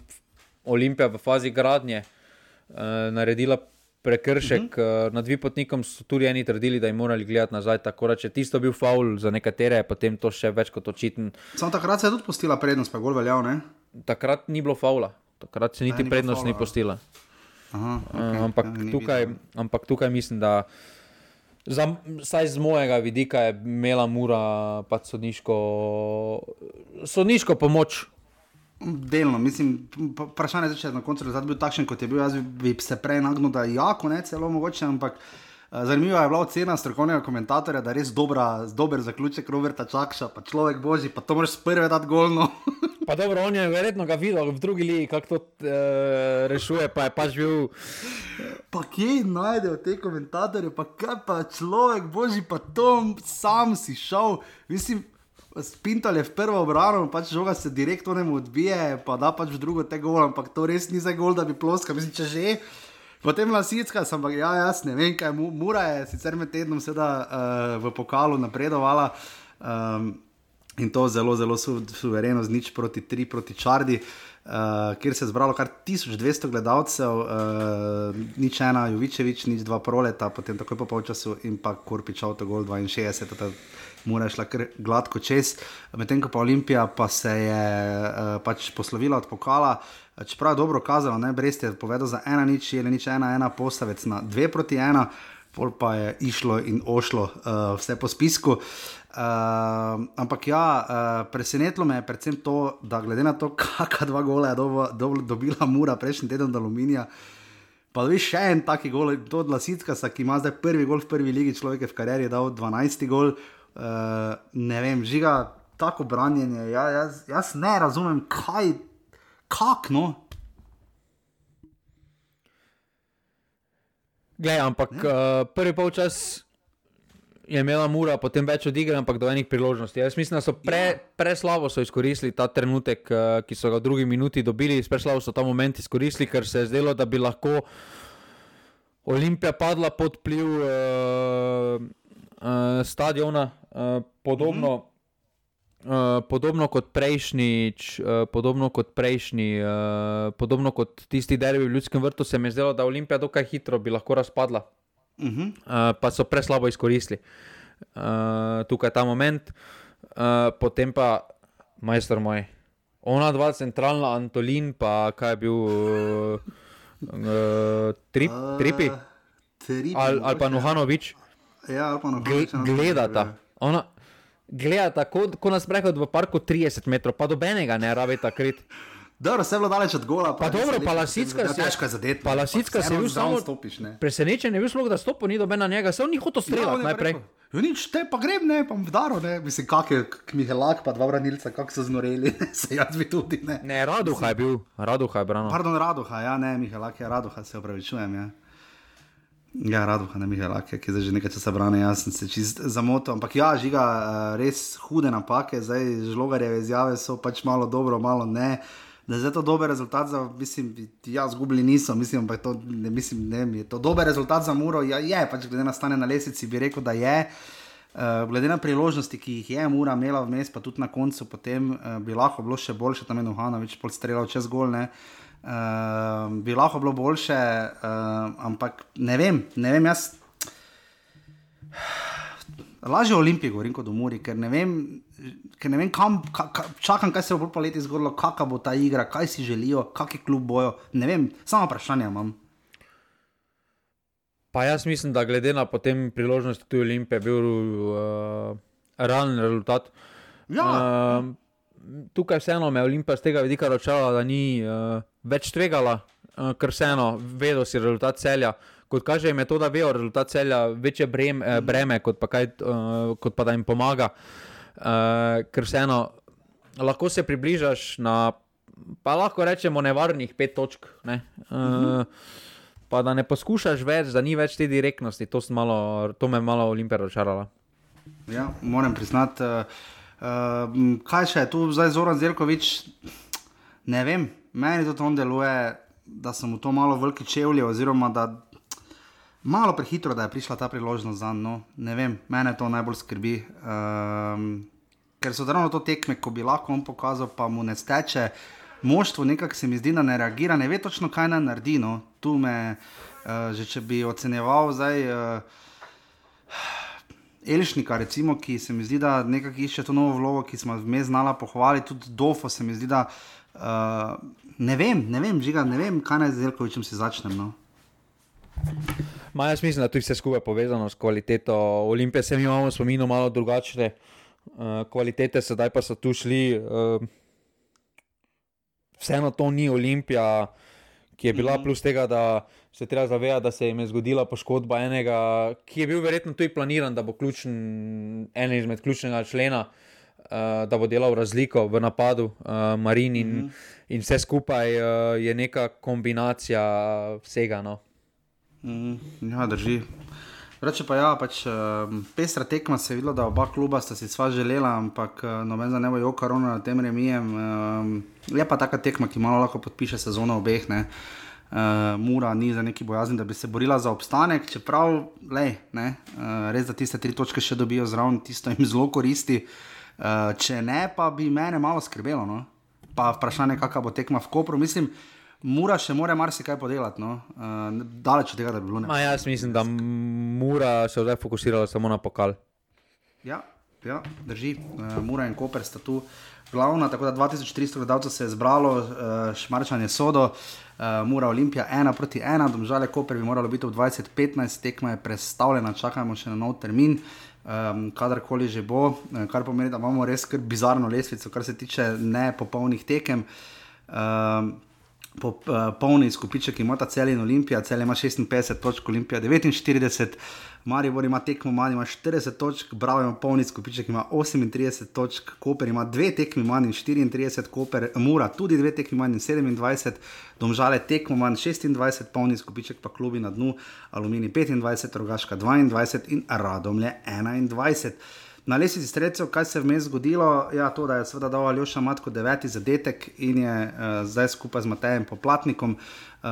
Olimpija v fazi gradnje, uh, naredila prekršek, uh-huh. uh, nad Vipotnikom so tudi eni trdili, da jim morali gledati nazaj, tako da če tisto bil faul za nekatere, potem to še več kot očiten. Samo takrat se je tudi postila prednost, pa je gol veljal, ne? Takrat ni bilo faula, takrat se niti ni prednost faula, ni postila. Aha, okay. uh, ampak, ja, tukaj, ampak tukaj mislim, da Za, saj z mojega vidika je imela Mura pač sodniško, sodniško pomoč. Delno, mislim, vprašanje je, če je na koncu rezultat bil takšen, kot je bil, jaz bi se prej nagnil, da jako, ne, celo mogoče, ampak uh, zanimiva je bila ocena strokovnega komentatorja, da je res dobra, dober zaključek Roberta Čakša, pa človek božji, pa to moraš prve dati golno. Pa dobro, on je verjetno ga videl v drugi ligi, kako to uh, rešuje, pa je pač bil... Pa kje najdejo te komentatorje, pa kaj pa človek božji, pa to sam si šel, mislim, Pintal je v prvo obrano, pač žoga se direktno nemu odbije, pa da pač v drugo te gol, ampak to res ni za gol, da bi ploskal, mislim, če že. Potem Lasicka sem pa, ja, jaz ne vem, kaj, Mura je sicer med tednom seveda uh, v pokalu napredovala, um, in to zelo, zelo su, suvereno z nič proti tri proti Čardi, uh, kjer se je zbralo kar tisoč dvesto gledalcev, uh, nič ena Jovičevič, nič dva Proleta, potem takoj po polčasu in pa Korpič avtogol dvainšestdeset, Mura je šla kar gladko čez, medtem ko pa Olimpija pa se je uh, pač poslovila od pokala, čeprav je dobro kazala, ne, Brest je povedal za ena nič, je nič ena, ena Postavec na dve proti ena, pol pa je išlo in ošlo uh, vse po spisku. Uh, ampak ja, uh, presenetilo me je predvsem to, da glede na to, kakšna dva gola je do, do, dobila Mura prejšnji teden od Aluminija, pa dobi še en taki gol, to od Lasickasa, ki ima zdaj prvi gol v prvi ligi, človek je v karieri dal dvanajsti gol, uh, ne vem, Žiga, tako branjenje, ja, jaz, jaz ne razumem, kaj, kak, no? Glej, ampak uh, prvi polčas je imela Mura potem več odigre, ampak do enih priložnosti. Jaz mislim, da so pre, preslavo so izkoristili ta trenutek, uh, ki so ga v drugi minuti dobili, preslavo so ta moment izkoristili, ker se je zdelo, da bi lahko Olimpija padla pod vpliv uh, uh, stadiona, uh, podobno, mm-hmm. uh, podobno kot prejšnjič, uh, podobno kot prejšnji, uh, podobno kot tisti derbi v Ljudskem vrtu, se mi je zdelo, da Olimpija dokaj hitro bi lahko razpadla. Uh-huh. Uh, pa so preslabo izkoristili uh, tukaj ta moment, uh, potem pa majster moj, ona dva centralna, Antolin pa kaj je bil uh, uh, trip, uh, Tripi ali al pa Nuhanović, ja, ali pa Nuhanović gledata, ona gledata kot ko nas prehod v parku trideset metrov, pa dobenega ne rabita krit. Dobro, vse je bilo daleč od gola. Pa, pa dobro, pa Lasicka se je zadet, pa Lasicka se je bil samo stopiš, presenečen, je bil sploh, da stopo ni doben na njega, se on ni hotel streljati ja, najprej. Jo nič, te pa grem, ne, pa vdaro, ne, mislim, kak je Mihelak, pa dva branilca, kak so znoreli, se jaz bi tudi, ne. Ne, Raduha je bil, Raduha je branil. Pardon, Raduha, ja, ne, Mihelak je Raduha, se opravičujem, ja. Ja, Raduha, ne Mihelak, ki zdaj že nekaj časa brane, jaz sem se čist zamotil, ampak ja, Žiga, res hude napake, zdaj Žlogarjeve izjave so pač malo dobro, malo ne. Da je to dober rezultat za, mislim, ja, zgubili niso, mislim, pa je to, ne, mislim, ne, je to dober rezultat za Muro, ja, je, pač glede na stanje na lesici bi rekel, da je, uh, glede na priložnosti, ki jih je Mura imela vmes, pa tudi na koncu, potem uh, bi lahko bilo še boljše, tam je Nuhanović pol streljal čez gol, ne, uh, bi lahko bilo boljše, uh, ampak ne vem, ne vem, jaz, lažje o Olimpiji govorim kot o Muri, ker ne vem, ker ne vem kam, ka, ka, čakam, kaj se bo po leti zgodilo, kakva bo ta igra, kaj si želijo, kakšen klub bojo, ne vem, samo vprašanje imam. Pa jaz mislim, da glede na potem priložnost tudi Olimpije bil uh, realen rezultat. Ja. Uh, tukaj vseeno me Olimpija z tega vidika račala, da ni uh, več tvegala, uh, ker vseeno vedel si rezultat Celja. Kot kaže jim je to, da vejo rezultat Celja, večje breme, eh, breme kot, pa kaj, uh, kot pa da jim pomaga. Uh, ker vseeno lahko se približaš na, pa lahko rečemo, nevarnih pet točk. Ne? Uh, uh-huh. Pa da ne poskušaš več, da ni več te direktnosti, to, malo, to me malo Olimpija razočarala. Ja, moram priznati, uh, uh, kaj še je tu zdaj Zoran Zeljković, ne vem, meni to on deluje, da so mu to malo veliki čevlji, oziroma da malo prehitro, da je prišla ta priložnost zanj, no, ne vem, mene to najbolj skrbi, um, ker so ravno to tekme, ko bi lahko on pokazal, pa mu ne steče. Moštvo nekako se mi zdi, da ne reagira, ne ve točno, kaj naj naredi. No. Tu me, uh, že če bi ocenjeval zdaj uh, Elšnika, recimo, ki se mi zdi, da nekako išče to novo vlogo, ki smo vmes znala pohvaliti, tudi Dofo se mi zdi, da uh, ne vem, ne vem, Žiga, ne vem, kaj naj z Zeljkovićem si začnem. No. Ma, jaz mislim, da tu vse skupaj povezano s kvaliteto Olimpije, se mi imamo spominu malo drugačne uh, kvalitete, sedaj pa so tu šli... Uh, Vseeno to ni Olimpija, ki je bila plus tega, da se treba zavedati, da se jim je zgodila poškodba enega, ki je bil verjetno tudi planiran, da bo ključen, en izmed ključnega člena, uh, da bo delal razliko v napadu, uh, Marin in, mm -hmm. in vse skupaj uh, je neka kombinacija vsega. No. Mm, ja, drži. Reče pa ja, pač um, pestra tekma se je videla, da oba kluba sta si sva želela, ampak uh, noben za ne bo joka ravno na tem remijem. Um, je pa taka tekma, ki malo lahko podpiše sezono obeh, ne. Uh, Mura ni za neki bojazni, da bi se borila za obstanek, čeprav, lej, ne, uh, res da tiste tri točke še dobijo zraven, tisto jim zelo koristi. Uh, če ne, pa bi mene malo skrbelo, no. Pa vprašanje, kakva bo tekma v Kopru, mislim, Mura še more marsikaj podelati, no. Uh, daleč od tega, da bi bilo ne. Ma, jaz mislim, da Mura se zdaj fokusirala samo na pokal. Ja, ja, drži. Uh, Mura in Koper sta tu glavna, tako da dva tisoč tristo gledalcev se je zbralo, uh, Šmarčan je Sodo, uh, Mura Olimpija ena proti ena, Domžale Koper bi moralo biti v dvajset petnajst, tekma je prestavljena, čakajmo še na nov termin. Um, kadarkoli že bo, kar pomeni, da imamo res kar bizarno lestvico, kar se tiče nepopolnih tekem. Um, Po uh, polni izkupiček ima ta Celje in Olimpija, Celje ima šestinpetdeset točk, Olimpija devetinštirideset, Maribor ima tekmo manj, ima štirideset točk, Bravo ima polni izkupiček, ima osemintrideset točk, Koper ima dve tekmi manj in štiriintrideset, Koper, Mura tudi dve tekmi manj in sedemindvajset, Domžale tekmo manj šestindvajset, polni izkupiček pa klubi na dnu, Aluminij petindvajset, Rogaška dvaindvajset in Radomlje enaindvajset. Na lestvici strelcev, kaj se je vmes zgodilo? Ja, to, da je seveda dal Aljoša Matko deveti zadetek in je uh, zdaj skupaj z Matejem Poplatnikom, uh,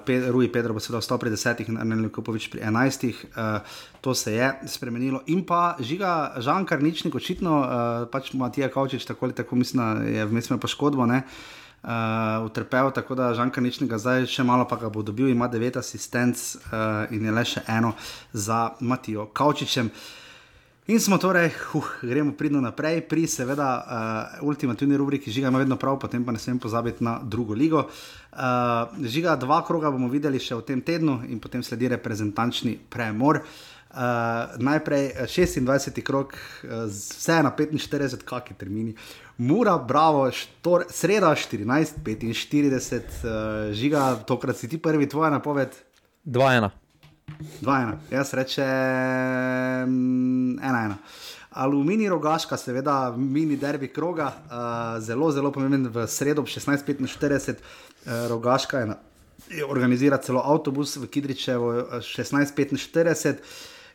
Pe Rui Pedro bo seveda ostal pri desetih in Arnel Kupovič pri enajstih, uh, to se je spremenilo. In pa Žiga Žan Karničnik, očitno, uh, pač Matija Kavčič, tako ali tako mislim, da je vmes imel poškodbo, ne, uh, utrpel, tako da Žan Karničnik ga zdaj še malo pa ga bo dobil, ima devet asistenc uh, in je le še eno za Matijo Kavčičem. In smo torej, uh, gremo pridno naprej, pri seveda uh, ultimativni rubriki Žiga ima vedno prav, potem pa ne smem pozabiti na drugo ligo. Uh, Žiga, dva kroga bomo videli še v tem tednu in potem sledi reprezentančni premor. Uh, najprej šestindvajseti krog, uh, vse na petinštirideset, kaki termini. Mura, Bravo, štor, sreda štirinajst petinštirideset, uh, Žiga, tokrat si ti prvi, tvoja napoved? dva ena. dva ena, jaz rečem ena ena. Aluminij Rogaška, seveda mini derbi kroga, uh, zelo, zelo pomemben v sredo ob šestnajst petinštirideset, uh, Rogaška je, na, je organizira celo avtobus v Kidričevo šestnajst petinštirideset.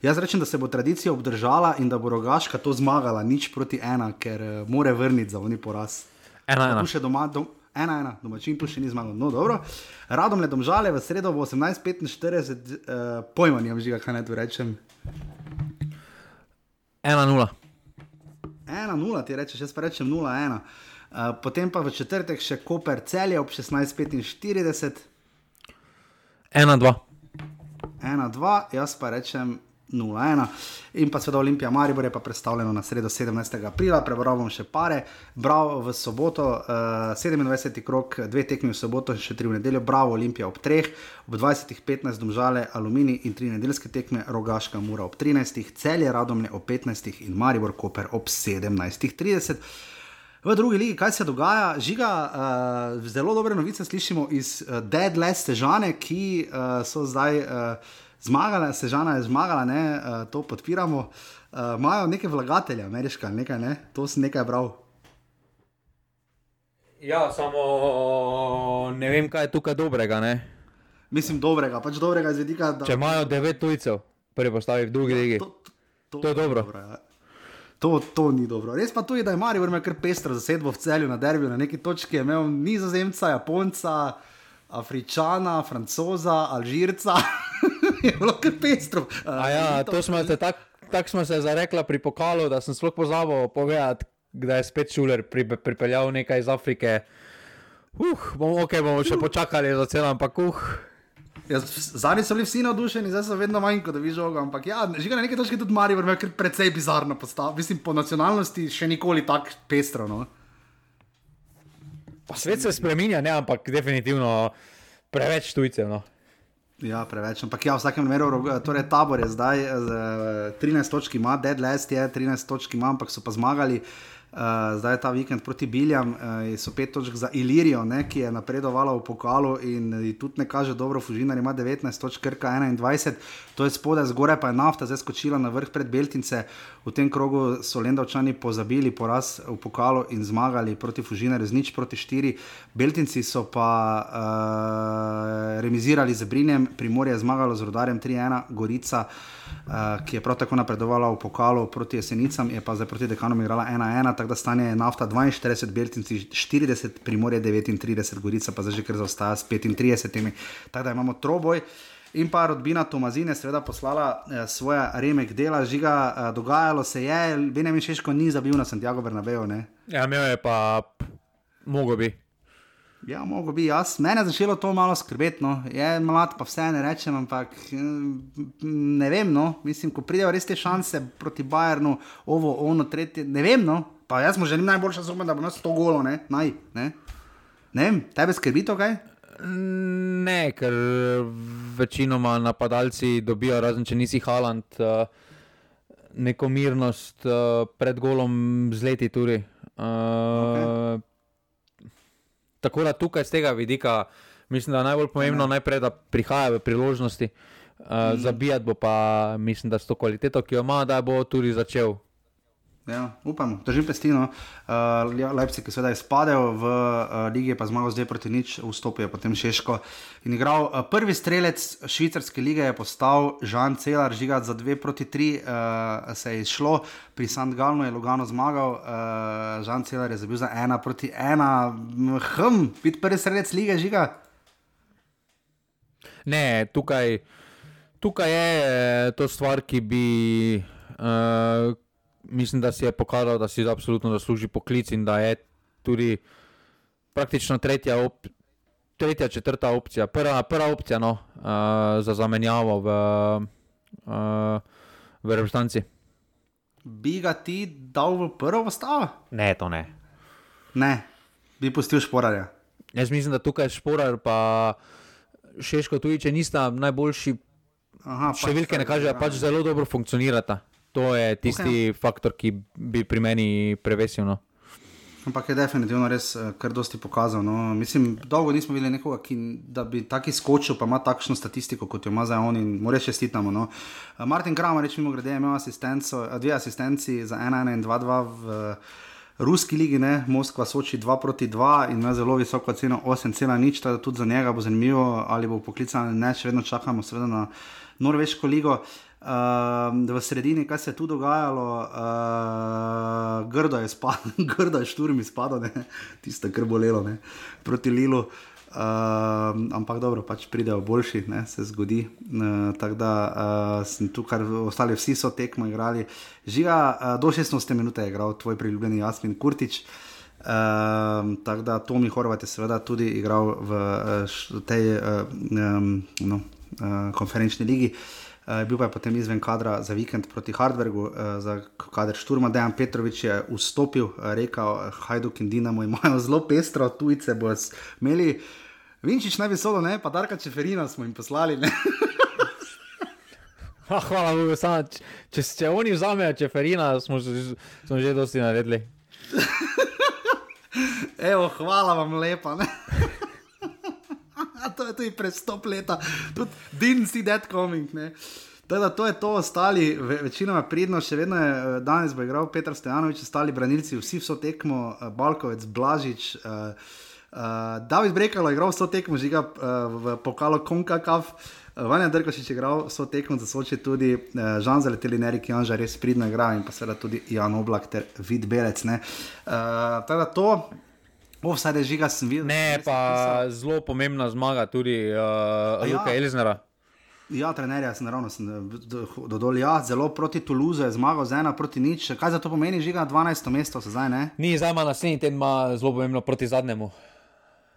Jaz rečem, da se bo tradicija obdržala in da bo Rogaška to zmagala, nič proti ena, ker uh, more vrniti za oni poraz. ena ena. Tu še doma, dom, ena ena, domačin tu še ni zmagal, no dobro. Radomlje Domžale v sredo v osemnajst petinštirideset, uh, pojma nimam, Žiga, kaj naj tu rečem. ena nula. ena nula ti rečeš, jaz pa rečem nula ena. Uh, potem pa v četrtek še Koper Celje ob šestnajst petinštirideset. ena dva. ena dva, jaz pa rečem nula ena. In pa seveda Olimpija Maribor je pa predstavljeno na sredo sedemnajstega aprila, prebral bom še pare, Bravo v soboto, uh, sedemindvajseti krog, dve tekmi v soboto, še tri v nedeljo, Bravo Olimpija ob treh, ob dvajsetih petnajst Domžale Aluminij in tri nedeljske tekme, Rogaška Mura ob trinajstih, Celje Radomlje ob petnajstih in Maribor Koper ob sedemnajstih trideset. V drugi ligi, kaj se dogaja? Žiga, uh, zelo dobre novice slišimo iz uh, Deadless Sežane, ki uh, so zdaj uh, zmagala, Sežana je zmagala, ne, uh, to podpiramo. Uh, imajo neke vlagatelje, ameriška, nekaj, ne, to sem nekaj bral. Ja, samo ne vem, kaj je tukaj dobrega, ne. Mislim dobrega, pač dobrega izvedika, da... Če imajo devet tujcev, prvi postavi v drugi ja, ligi, to, to, to, to je dobro. dobro ja. To, to ni dobro. Res pa tudi, da je Maribor imel kar pestro zasedbo v Celju na derbiju, na neki točki je imel Nizozemca, Japonca, Afričana, Francoza, Alžirca, je bilo kar pestro. A ja, to smo se, tak, tak smo se zarekla pri pokalu, da sem sploh pozabil povedati, da je spet Šuler pri, pripeljal nekaj iz Afrike. Uh, bomo, ok, bomo še počakali za celo, ampak uh. Ja, zadnji so bili vsi navdušeni, zdaj so vedno manj, ko da vi žoga, ampak ja, Žiga na neke točke tudi Maribor imel kar precej bizarno postav. Mislim, po nacionalnosti še nikoli tak pestro, no. Pa svet se spreminja, ne, ampak definitivno preveč tujcev, no. Ja, preveč, ampak ja, v vsakem primeru, torej Tabor je zdaj trinajst točk ima, Deadless je trinajst točk ima, ampak so pa zmagali. Uh, zdaj je ta vikend proti Biljam, uh, so pet točk za Ilirijo, ne, ki je napredovala v pokalu in tudi ne kaže dobro, Fužinar ima devetnajst točk, Krka enaindvajset, to je spodaj, zgoraj pa je Nafta zdaj skočila na vrh pred Beltince. V tem krogu so Lendavčani pozabili poraz v pokalu in zmagali proti Fužinarju z nič proti štiri. Beltinci so pa uh, remizirali z Brinjem, Primorje je zmagalo z Rudarjem tri ena, Gorica, uh, ki je prav tako napredovala v pokalu proti Jesenicam, je pa zdaj proti Dekanom igrala ena ena, tako da stanje je Nafta dvainštirideset, Beltinci štirideset, Primorje devetintrideset, Gorica pa zdaj že kar zaostaja s petintridesetimi, tako da imamo troboj. In pa rodbina Tomazine seveda poslala eh, svoje remek dela, Žiga, eh, dogajalo se je, Benjamin Šeško ni zabil na Santiago Bernabeu, ne? Ja, imel je pa, mogo bi. Ja, mogo bi, jaz, mene je začelo to malo skrbeti, no, je mlad, pa vse ne rečem, ampak ne vem, no, mislim, ko pridejo res te šanse proti Bayernu, ovo, ono, tretje, ne vem, no, pa jaz mu želim najboljša zuma, da bo nas sto golo, ne, naj, ne, ne vem, tebe skrbi to kaj? Ne, ker večinoma napadalci dobijo, razen če nisi Haaland, neko mirnost pred golom z leti tudi. Okay. Tako da tukaj z tega vidika mislim, da je najbolj pomembno ne. najprej, da prihaja v priložnosti. Mm. Zabijati bo pa, mislim, da s to kvaliteto, ki jo ima, da bo tudi začel. Ja, upam, držim pestino. Uh, Leipzig je seveda izpadel v uh, ligi, pa zmagal zdaj proti nič, vstopil je potem Šeško in igral. Uh, prvi strelec švicarske lige je postal Žan Celar, Žiga za dve proti tri uh, se je izšlo, pri Sant Galnu je Lugano zmagal, uh, Žan Celar je zabil za ena proti ena, hm, biti prvi strelec lige, Žiga? Ne, tukaj, tukaj je to stvar, ki bi... Uh, Mislim, da si je pokazal, da si absolutno zasluži poklic in da je tudi praktično tretja, op, tretja četrta opcija, prva, prva opcija no, uh, za zamenjavo v, uh, v reprezentanci. Bi ga ti dal v prvo postavo? Ne, to ne. Ne, bi pustil Šporarja. Jaz mislim, da tukaj Šporar pa Šeško tudi, če nista najboljši, Aha, številke pač, ne kaže, ja. pač zelo dobro funkcionirata. To je tisti okay. faktor, ki bi pri meni prevesil. No. Ampak je definitivno res kar dosti pokazal. No. Mislim, dolgo nismo videli nekoga, ki, da bi taki skočil, pa ima takšno statistiko, kot jo ima zdaj on in moraš čestitamo. No. Martin Kramarič mimo grede je imel asistenco, dve asistenci za ena ena in dva dva v ruski ligi, ne. Moskva Soči dva proti dva in ima zelo visoko ceno osem cela nič, tako da tudi za njega bo zanimivo, ali bo poklican, ne, še vedno čakamo seveda na norveško ligo. Uh, v sredini, kaj se je tu dogajalo, uh, grdo je spadal, grdo je šturm izpadal, tisto kar bolelo, ne, proti Lilu, uh, ampak dobro, pač pridejo boljši, ne, se zgodi, uh, tako da uh, sem tu, kar ostali vsi so tekmo igrali. Žiga, uh, do šestnajste minute je igral tvoj priljubljeni Jasmin Kurtić, uh, tako da Tomi Horvat je seveda tudi igral v uh, tej uh, um, no, uh, konferenčni ligi. uh, bil pa je potem izven kadra za vikend proti Hardbergu, uh, za kader Šturma. Dejan Petrovič je vstopil, uh, rekel, Hajduk in Dinamo imajo zelo pestro, tujce bo imeli. Vinčič naj bi solo, ne, pa Darka Čeferina smo jim poslali, ne. Ah, hvala Bogu, samo, če, če, če oni vzamejo Čeferina, smo, smo že dosti naredili. Evo, hvala vam lepa, ne. To je tudi prestop leta, tudi didn't see that coming, ne. Teda, to je to, ostali, ve, večinoma pridno, še vedno je, danes bo igral Petar Stojanović, ostali branilci, vsi vso tekmo, Balkovec, Blažič, uh, uh, David Brekalo je igral vso tekmo, žiga uh, v pokalu Konkakav, Vanja Drkošič je igral vso tekmo za Soči tudi, uh, Žan Zaleteli, Erik Janža res pridno igra in pa seveda tudi Jan Oblak ter Vid Belec, ne. Uh, teda to, offside žiga sem videl. Ne, pa zelo pomembna zmaga tudi uh, Luka ja. Elznera. Ja, trenerja sem naravno sem dodol, ja, zelo proti Toulouse je zmagal z ena proti nič. Kaj za to pomeni, žiga dvanajsto mesto se zdaj, ne? Ni, zdaj ima naslednji teden ima zelo pomembno proti zadnjemu.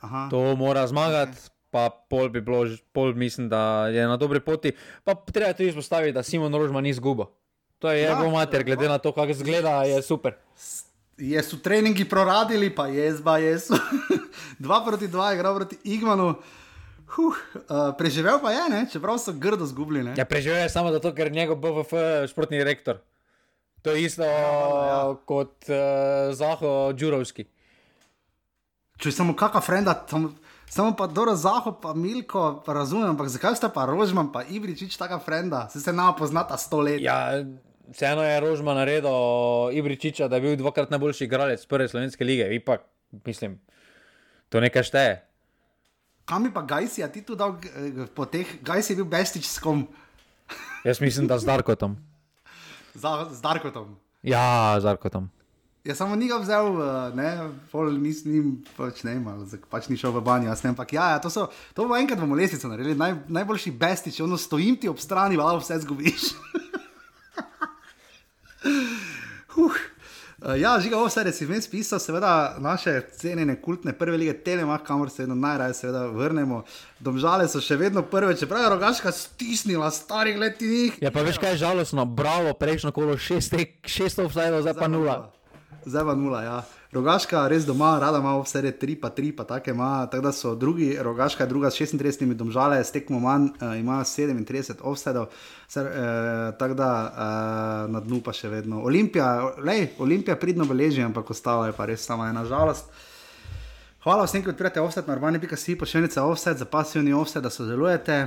Aha. To mora zmagati, okay. Pa pol bi bilo, pol mislim, da je na dobri poti. Pa treba tudi izpostaviti, da Simon Rožman ni izgubo. To je ja, jego mater, glede na to, kako izgleda, je super. Je su treningi proradili, pa jezba, jesu. Dva proti dva je igral proti Igmanu. Huh, uh, preživel pa je, ne? Čeprav so grdo zgubili, ne? Ja, preživel je samo zato, ker njegov B V F športni direktor. To je isto ja, ja. kot uh, Zaho Đurovski. Če samo kakva frenda, tam, samo pa Doro Zaho, pa Milko, pa razumem, ampak zakaj sta pa Rožman, pa Ibričič taka frenda? Se se nama poznata sto let. Ja, vseeno je Rožman naredil Ibričiča, da je bil dvakrat najboljši igralec prve slovenske lige. Ipak, mislim, to nekaj šteje. Kam je pa Gajsi, a ti tu dal po teh, Gajsi je bil Bestič s kom? Jaz mislim, da z Darkotom. Z, z Darkotom? Ja, z Darkotom. Ja, samo ni ga vzel, ne, pol nis, nim, pač ne imal, pač ni šel v banjo, jaz ne, ampak ja, ja, to so, to bo enkrat bomo lesnico naredili, Naj, najboljši Bestič, ono stojim ti ob strani, vala vse zgubiš. huh. Ja, žiga, vse res si vmes pisal, seveda naše cenjene kultne prve lige Telemach, kamor se vedno najraje seveda vrnemo. Domžale so še vedno prve, čeprav je Rogaška stisnila starih letinih. Ja, pa veš kaj je žalostno, bravo, prejšnjo kolo šest, šest offside, zdaj pa nula. Zdaj pa nula, ja. Rogaška res doma, rada ima offside tri pa tri, pa take ima, tako da so drugi, Rogaška je druga s šestintridesetimi, Domžale s tekmo manj, uh, ima sedemintrideset offsideov, uh, tako da uh, na dnu pa še vedno. Olimpija, lej, Olimpija pridno beleži, ampak ostala je pa res sama ena žalost. Hvala vsem, ki odpirate offside na urbani pika si, pošiljnica offside za pasivni offside, da sodelujete.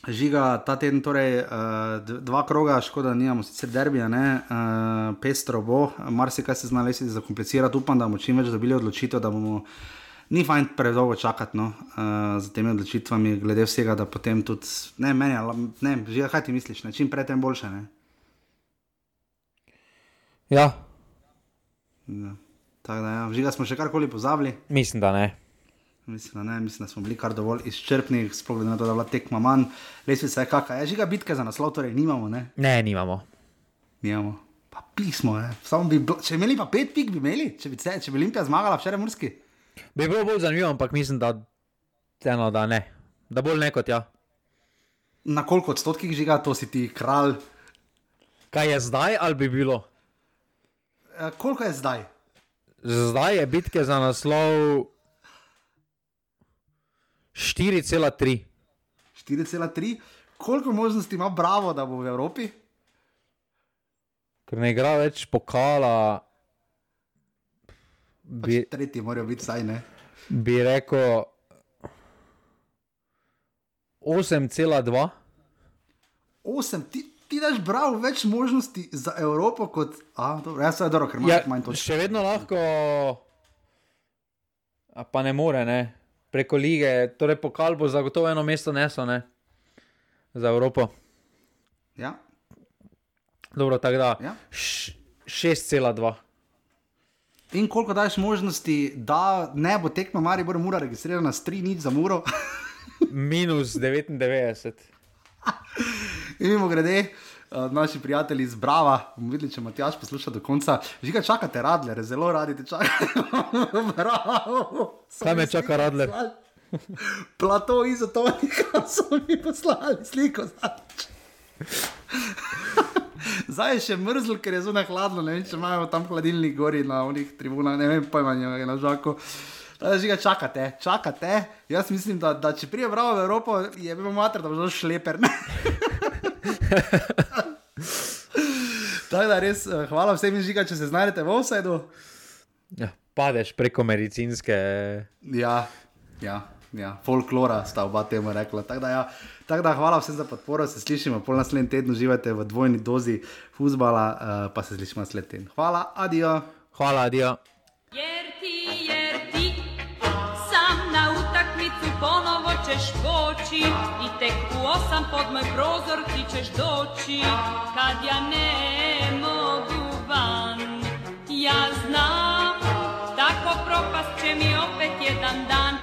Žiga, ta teden torej uh, dva kroga, škoda, nimamo sicer derbija, ne, uh, pestro bo, marsikaj se zna lesiti zakomplicirati, upam, da bomo čim več dobili odločitev, da bomo, ni fajn predolgo čakati, no, uh, za temi odločitvami, glede vsega, da potem tudi, ne, meni, ne, Žiga, kaj ti misliš, ne, čim prej tem boljše, ne? Ja. Ja, tako da, ja, Žiga, smo še karkoli pozabili? Mislim, da ne. Mislim, da ne, mislim, da smo bili kar dovolj izčrpni, sploh glede na to, da bila tekma manj. Lesvica je kaka, je Žiga, bitke za naslov, torej nimamo, ne? Ne, nimamo. Nimamo. Pa pismo, ne? Samo bi, če imeli pa pet pik, bi imeli, če bi, če bi Olimpija zmagala včeraj Murski. Bi bilo bolj zanimivo, ampak mislim, da, eno, da ne. Da bolj ne kot ja. Na koliko odstotkih, Žiga, to si ti kralj? Kaj je zdaj ali bi bilo? E, koliko je zdaj? Zdaj je bitke za naslov štiri cela tri. štiri cela tri? Koliko možnosti ima Bravo, da bo v Evropi? Ker ne igra več pokala. Bi, pač tretji morajo biti saj, ne? Bi rekel osem cela dva. osem? Ti, ti daš Bravo več možnosti za Evropo kot... A, dobro, jaz se je dobro, ker imaš ja, manj točk. Še vedno lahko... A pa ne more, ne? Preko lige, torej pokal bo zagotovo eno mesto nesel, ne? Za Evropo. Ja. Dobro, tako da, ja. šest cela dva. In koliko daješ možnosti, da ne bo tekma Maribor Mura registrirana s tri nič za Muro? Minus devetindevetdeset. In mimo grede, uh, naši prijatelji iz Brava, bomo videli, če Matjaž posluša do konca. Žiga, čakate Radlere, zelo radi te čakajo. Bravo. Kaj me čaka Radler? Plato izotonika so mi poslali sliko. Zdaj je še mrzlo, ker je zunaj hladno, ne vem, če imajo tam hladilnik gori na onih tribunah, ne vem, pojma njega na žaku. Da žiga, čakate, čakate. Jaz mislim, da, da če prije bravo v Evropo, je bilo mater, da bo zelo šleper, ne? Tako da res, hvala vsem žiga, če se znajdete v offsideu. Ja, padeš preko medicinske... Ja, ja, ja, folklora sta oba temu rekla. Tako da, ja, tak da hvala vsem za podporo, se slišimo, pol naslednji teden uživajte v dvojni dozi fuzbala, uh, pa se slišimo naslednji teden. Hvala, adijo. Hvala, adijo. Jer ti, jer ti, sam na utakmicu ponovo ćeš poći i tek u osam pod moj prozor ti ćeš doći, kad ja ne mogu van. Ja znam, tako propast će mi opet jedan dan.